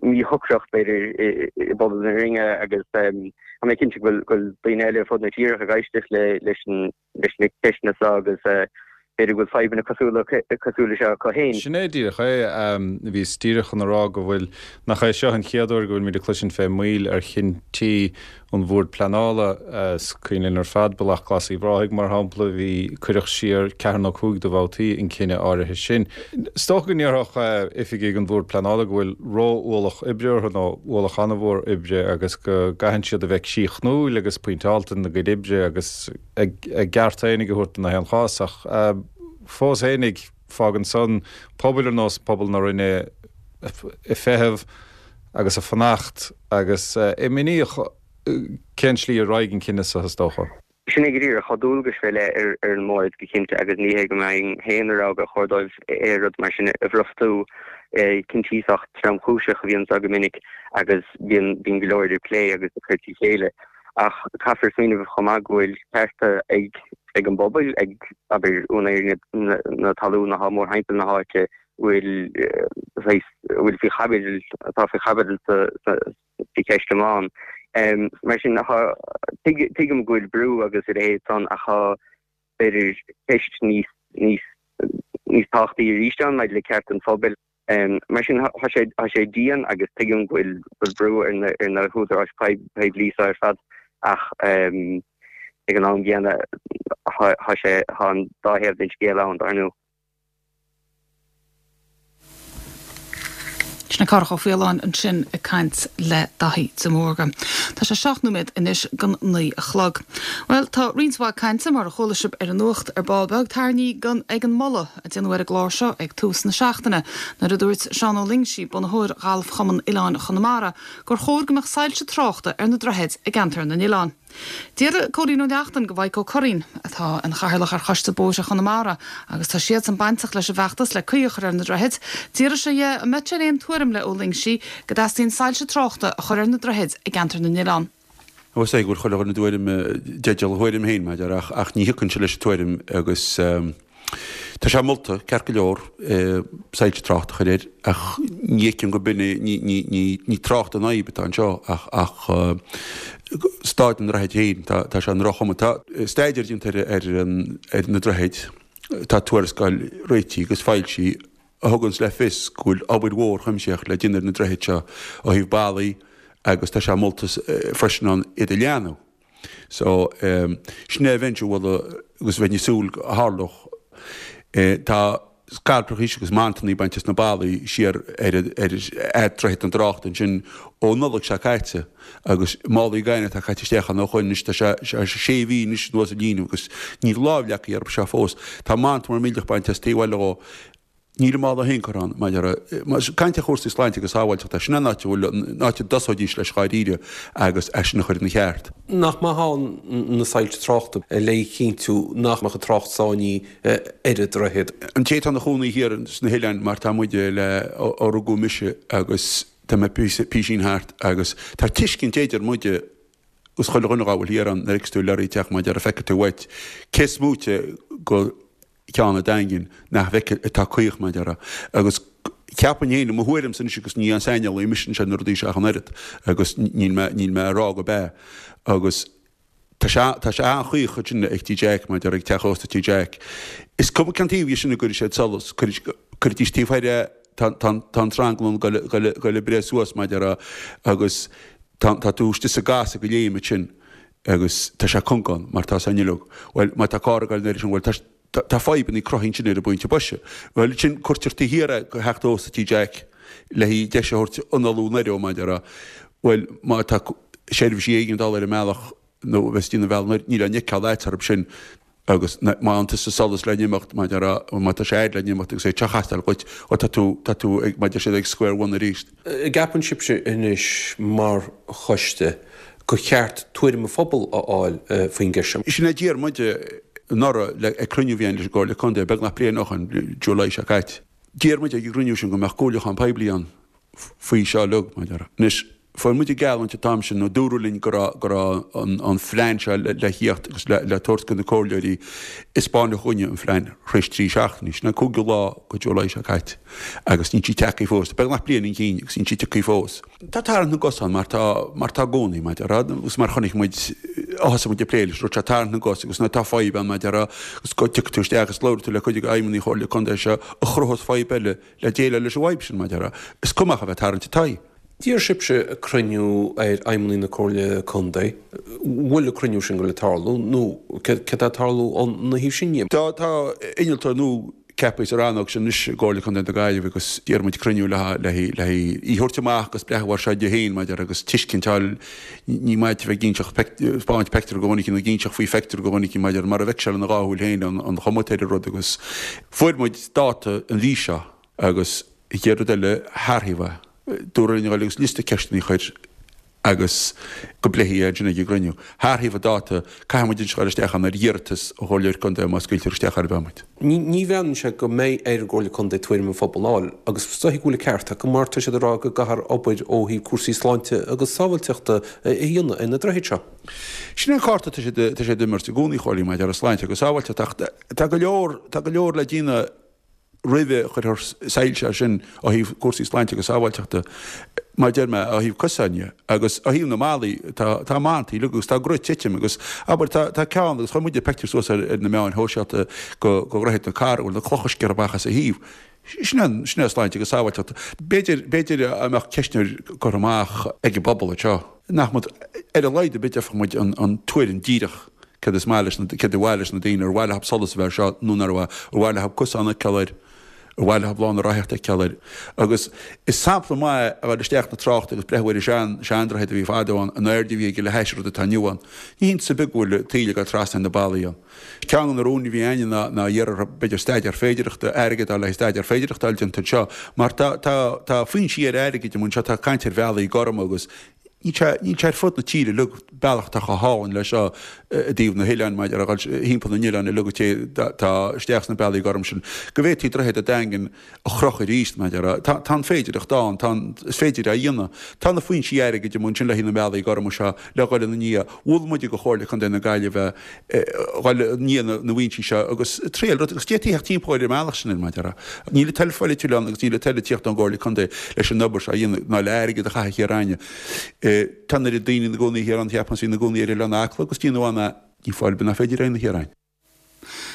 míshocracht b'fhéidir i bpobal na Rinne agus tá mé cinnte go bhfuil daoine eile ar fud na tíre ag éisteacht leis na ceisteanna seo agus b'fhéidir go bhfuil fadhbanna cosúil le seo acu féin. Sin é díreach é. Bhíos díreach chun a rá go bhfuil, nach é seo an chéad uair go bhfuilimid ag cloisint fé mhoill ar chinntí an Bhoird Pleanála. Is cuimhin linn ar fad Bealach Glas Uíbh Ráthaigh, mar shampla, bhí, cuireadh siar ceathair nó cúig de bhabhtaí an cinneadh áirithe sin. Is dócha go ndéarfadh oifigigh an Bhoird Pleanála go bhfuil ró-ualach oibre orthu, nó ualach an-mhór oibre, agus go gcaitheann siad a bheith críochnúil agus pointeálta ina gcuid oibre agus a gceart fhéinig a thabhairt do na haon chás. Ach fós fhéinig, fágann san pobail ar nós pobal na Rinne ag feitheamh agus ag fanacht agus imníoch cén slí a raghaidh an cinneadh seo, is dócha. Sin é go díreach. Tá dualgais fé leith ar an mBord go cinnte agus ní hé go mbeinn féin ag rá gur chóir dóibh aon rud mar sin a bhrostú. Cinntí sách tromchúiseach a bhíonn anso go minic agus bíonn go leor idir plé agus ag cur trí chéile. Ach caithfear smaoineamh chomh maith go bhfuil cearta ag ag an bpobal, ag, abair, úinéirí na talún atá mórthimpeall na háite, bhfuil saghas, a bhfuil faoi chaibidil, atá faoi chaibidil sa cheist iomlán. Mar sin, tá, tuigim go bhfuil brú agus a leithéid san ach tá, b'fhéidir, ceist níos, níos, níos tábhachtaí arís ann maidir le cearta an phobail. Mar sin, tá sé, tá sé dian agus tuigim go bhfuil, go bhfuil brú ar na, ar na húdaráis poiblí seo ar fad ach ag an am gcéanna tá sé, tá an dá thaobh den scéal ann, dar ndóigh. Sin é Cárthach Ó Faoláin ansin ag caint le Daithí de Mórdha. Tá sé 7 nóiméad anois don 9 a chlog. Bhuel, tá roinnt mhaith cainte, mar a chuala sibh ar an nuacht ar ball beag, tarraingthe ag an moladh a déanadh ar an gclár seo ag tús na seachtaine, nuair a dúirt Seán Ó Loingsigh, bunaitheoir Ghalf-Chumann Oileáin Chonamara, gur chóir go mbeadh soilse tráchta ar na droichid i gceantar na n-oileán. D'iarr Cóilín Ó Neachtain go Mhaidhc Ó Curraoin, atá ina chathaoirleach ar Choiste Bóithre Chonamara agus tá siadsan bainteach leis an bhfeachtas le caoi a chur ar na droichid, d'iarr sé dhe an mbeadh sé ar aon tuairim le Ó Loingsigh go dteastaíonn soilse tráchta a chur ar na droichid i gceantar na n-oileán. Ó is é go bhfuil chuile dhuine i dtuairim, i dteideal a thuairim féin, mar a déarfá, ach ní thiocfainnse leis an tuairim agus tá sé molta, ceart go leor, soilse tráchta a chur air ach ní fheicim go b'in é, ní, ní, ní, ní trácht an fhadhb atá anseo ach, ach staid an droichid féin, tá, tá sé i ndroch-chuma. Tá staidéar déanta ar, ar, ar na droichid, tá tuarascáil réitithe agus foilsithe a thuganns le fios go bhfuil obair mhór chuimsitheach le déanamh ar na droichid seo ó thaobh ballaí agus tá sé molta freisin ann iad a leathnú. So, sin é a bheinnse a mholadh agus bheinn ag súil go tharlódh. Tá. Scailpreachaís agus mantannaí bainte as na ballaí siar ar fhad Droichead na dTráchta ansin ó Nollaig seo caite agus málaí gainimh atá caite isteach ann ó shoin anois tá sé sé mhí anois anuas ag líonadh agus níl lámh leagtha orthu seo fós. Tá manta mór millteach bainte as taobh eile dhó. Níl an mála féin curtha ann maidir le caint ar chúrsaí sláinte agus sábháilteachta. Sin an áit a bhfuil an áit a dtosóidís leis dháiríre agus é sin a chur ina cheart. Nach maith ann na soilse tráchta le cinntiú nach mbeadh an trácht sáinnithe ar an droichead. An té atá ina chónaí thiar sna hoileáin mar tá muide le ó rugadh mise agus tá mé písín thart agus tá tuiscint idir muide agus chuile dhuine dhá bhfuil thiar ann nuair a fheiceas tú lorry ag teacht mar a déarfá feicfidh tú uait cé is móite go ceann an Daingin nach bhfeicfidh atá caoch mar a déarfá agus ceapaim féin i mo thuairimse anois agus ní aon saineolaí mise anseo na rudaí seo ach an oiread agus níl mé níl mé ag rá go b'ea agus Tá sé, tá sé an-chaoch ansin ag Tí Jack, mar a déarfá ag teach ósta Tí Jack. Is cuma cén taobh dhe sin a gcuirfidh siad solas, cuirfidís taobh thoir é, tá, tá, tá an tranglam ag goil, goil ag breith suas, mar a déarfá, agus tá, tá tú istigh sa gcasadh go léim ansin agus tá sé cúng ann mar tá san uileag. Bhuel, má tá carr ag goil an oiread sin, bhuel, tá, tá fadhbanna cruthaithe ansin ar an bpointe boise. Bhuel, ansin cuirtear taobh thiar é go theach ósta Tí Jack le haghaidh deis a thabhairt análú anoir ó, mar a déarfá. Bhuel, má tá seirbhísí éigeandála ar an mbealach nó a bheas ag déanamh an bhealaigh anoir, níl aon fheiceáil a'd orthu sin agus má fhaigheann tusa solas le n-imeacht, mar a déarfá, má tá sé a'd le n-imeacht agus é ag teastáil dhuit, bhuel tá tú, tá tú ag, mar a deir siad, ag square one arís. An gceapann sibhse anois mar choiste gur cheart tuairim an phobail a fháil faoin gceist seo? Sin é a d'iarr muid anuraidh le ag cruinniú a bhí againn leis an gComhairle Contae, beagnach bliain ó shoin, July seo caite. D'iarr muid ag an gcruinniú sin go mbeadh comhairliúchán poiblí ann faoi seo uilig, mar a déarfá. Anois, fuair muid an gheallúint an t-am sin, nó dúradh linn go raibh, go raibh an, an phlean seo le, le thíocht agus le, le tabhairt do na comhairleoirí. Is spáineadh chugainne an phlean tar éis 3 seachtainí, sin an cúigiú lá go July seo caite, agus níl sí tagtha fós. Beagnach bliain chun cinn agus níl sí tagtha fós. Tá tarraingt na gcos ann mar tá, mar tá i gcónaí, mar a déarfá, agus mar chonaic muid, ó thosaigh muid ag plé leis an rud seo, tarraingt na gcos agus nuair atá fadhb ann, mar a déarfá, agus go dtiocfaidh tú isteach agus labhróidh tú le cuid de fheidhmeannaigh Chomhairle Contae seo a chruthós fadhb eile le déileáil leis an bhfadhb sin, mar a déarfá. Is cuma ach a bheith ag tarraingt an toigh. D'iarr sibhse cruinniú ar fheidhmeannaigh na Comhairle Contae. Bhfuil an cruinniú sin ag goil ag tarlú nó céard atá ag tarlú óna thaobh sin dhe? Tá, tá innealtóir nua ceaptha sa rannóg sin anois i gComhairle Contae na Gaillimhe agus d'iarr muid cruinniú le le le í a thabhairt amach agus breathnú air seo di féin, mar a déarfá, agus tuiscint a fháil. Ní maith a bheith ag inseacht spáint peictiúr do dhuine éicint nó ag inseacht faoi pheictiúr do dhuine éicint, mar a déarfá, mara bhfeice sé lena dhá shúil féin an chuma atá ar an rud agus fuair muid dáta an mhí seo agus an chéad rud eile thar thaobh é. Dúradh linn a dhul agus liosta ceisteanna a chur agus go bpléifí é ansin ag an gcruinniú. Thar thaobh an dáta, caithfidh muid anois a dhul isteach ann ar iarratas ó Chomhairleoir Contae má scaoiltear isteach ar bith muid. Ní bhreathnaíonn sé go mbeidh ar an gComhairle Contae tuairim an phobail a fháil agus is dóichí go bhfuil an ceart acu mar tá siad ag rá go gcaithfear obair ó thaobh cúrsaí sláinte agus sábháilteachta a dhéanamh ar na droichid seo. Sin é an cárta atá siad atá siad ag imirt i gcónaí a Chóilín maidir le sláinte agus sábháilteacht ach tá go leor tá go leor le déanamh roimhe chuirfear soilse air sin ó thaobh cúrsaí sláinte agus sábháilteachta, mar a deir mé, ó thaobh cosáin dhe agus ó thaobh na mballaí, tá, tá mantaí uilig agus tá a gcruth ag titim agus, abair, tá, tá ceann agus chuir muide pictiúr suas ar, ar na meáin shóisialta go, go Dhroichead na Cathrach, a bhfuil na clocha sciorrtha amach as a thaobh. Sin é, sin é sláinte agus sábháilteacht. B'fhéidir, b'fhéidir a mbeadh ceistneoir curtha amach ag an bpobal anseo, nach mbeadh, ar a laghad ar bith d'fheicfeadh muid an, an tuairim díreach Céard is maith leis na, céard ar mhaith leis na daoine, ar mhaith leothab solas a bheith air seo nó nár mhaith, ar mhaith leothab cosán a fheiceáil air, ar mhaith leothab lána rothaíochta a fheiceáil air. Agus is sampla maith é a dhul isteach na tráchta agus breathnú ar an sean, seandroichead a bhí fadó ann, an airde a bhí aige le hais an rud atá inniu ann. Ní hiontas ar bith go bhfuil taoille ag dul trasna ar na ballaí ann. Ceann de na rúin a bhí againne ná, ná iarraidh orthu, b'fhéidir staidéar féidearthachta, airgead a fháil le haghaidh staidéar féidearthachta a fháil déanta anseo, mar tá, tá, tá foinsí ar airgid amuigh anseo, tá caint ar bhealaí gorma agus Níl sé, níl sé ar fud na tíre uilig, bealach atá chomh hálainn leis seo i dtaobh na hoileáin, maidir a dhul thimpeall na n-oileán uilig a tá isteach sna bealaí gorm sin, go bhféadfaí Droichead an Daingin a chrochadh arís, maidir a, tá, tá an féidireacht ann, tá an, is féidir é a dhéanamh. Tá na foinsí airgid amuigh ansin le haghaidh na mbealaí gorma seo le dhul ina ndiaidh. Mhol muide go Chomhairle Contae na Gaillimhe dhul i ndiaidh na, na bhfoinsí seo agus triail rud, agus d'fhéadfaí theacht timpeall ar an mbealach sin, maidir a. Níl an toil pholaitiúil ann agus níl an toil ag tíocht ón gComhairle Contae leis an obair seo a dhéanamh ná le airgead a chaitheamh thiar againne. Tá an oiread daoine ina gcónaí thiar ann, cheapfainn, is ina gcónaí ar Oileán Acla agus déanamh ann ní fáil ar bith nach féidir é a dhéanamh thiar againn.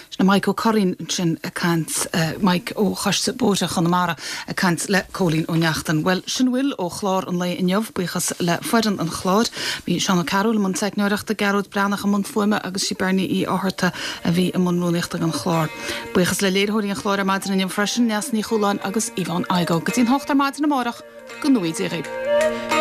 Sin Mike Ó Curraoin ansin ag caint, Mike ó Choiste Bóithre Chonamara ag caint le Cóilín Ó Neachtain. Bhuel, sin a bhfuil ó chlár an lae inniu. Buíochas le foireann an chláir. Bhí Seán Ó Cearúil i mbun teicneoireachta, Gearóid Breathnach i mbun fuaime agus sí Bernie Uí Fhátharta a bhí i mbun rúnaíochta don chlár. Buíochas le léiritheoirí an chláir ar maidin inniu freisin, Neasa Ní Chualáin agus Yvonne Igoe. Go dtí an hocht ar maidin amárach, go ngnóthaí Dia dhaoibh.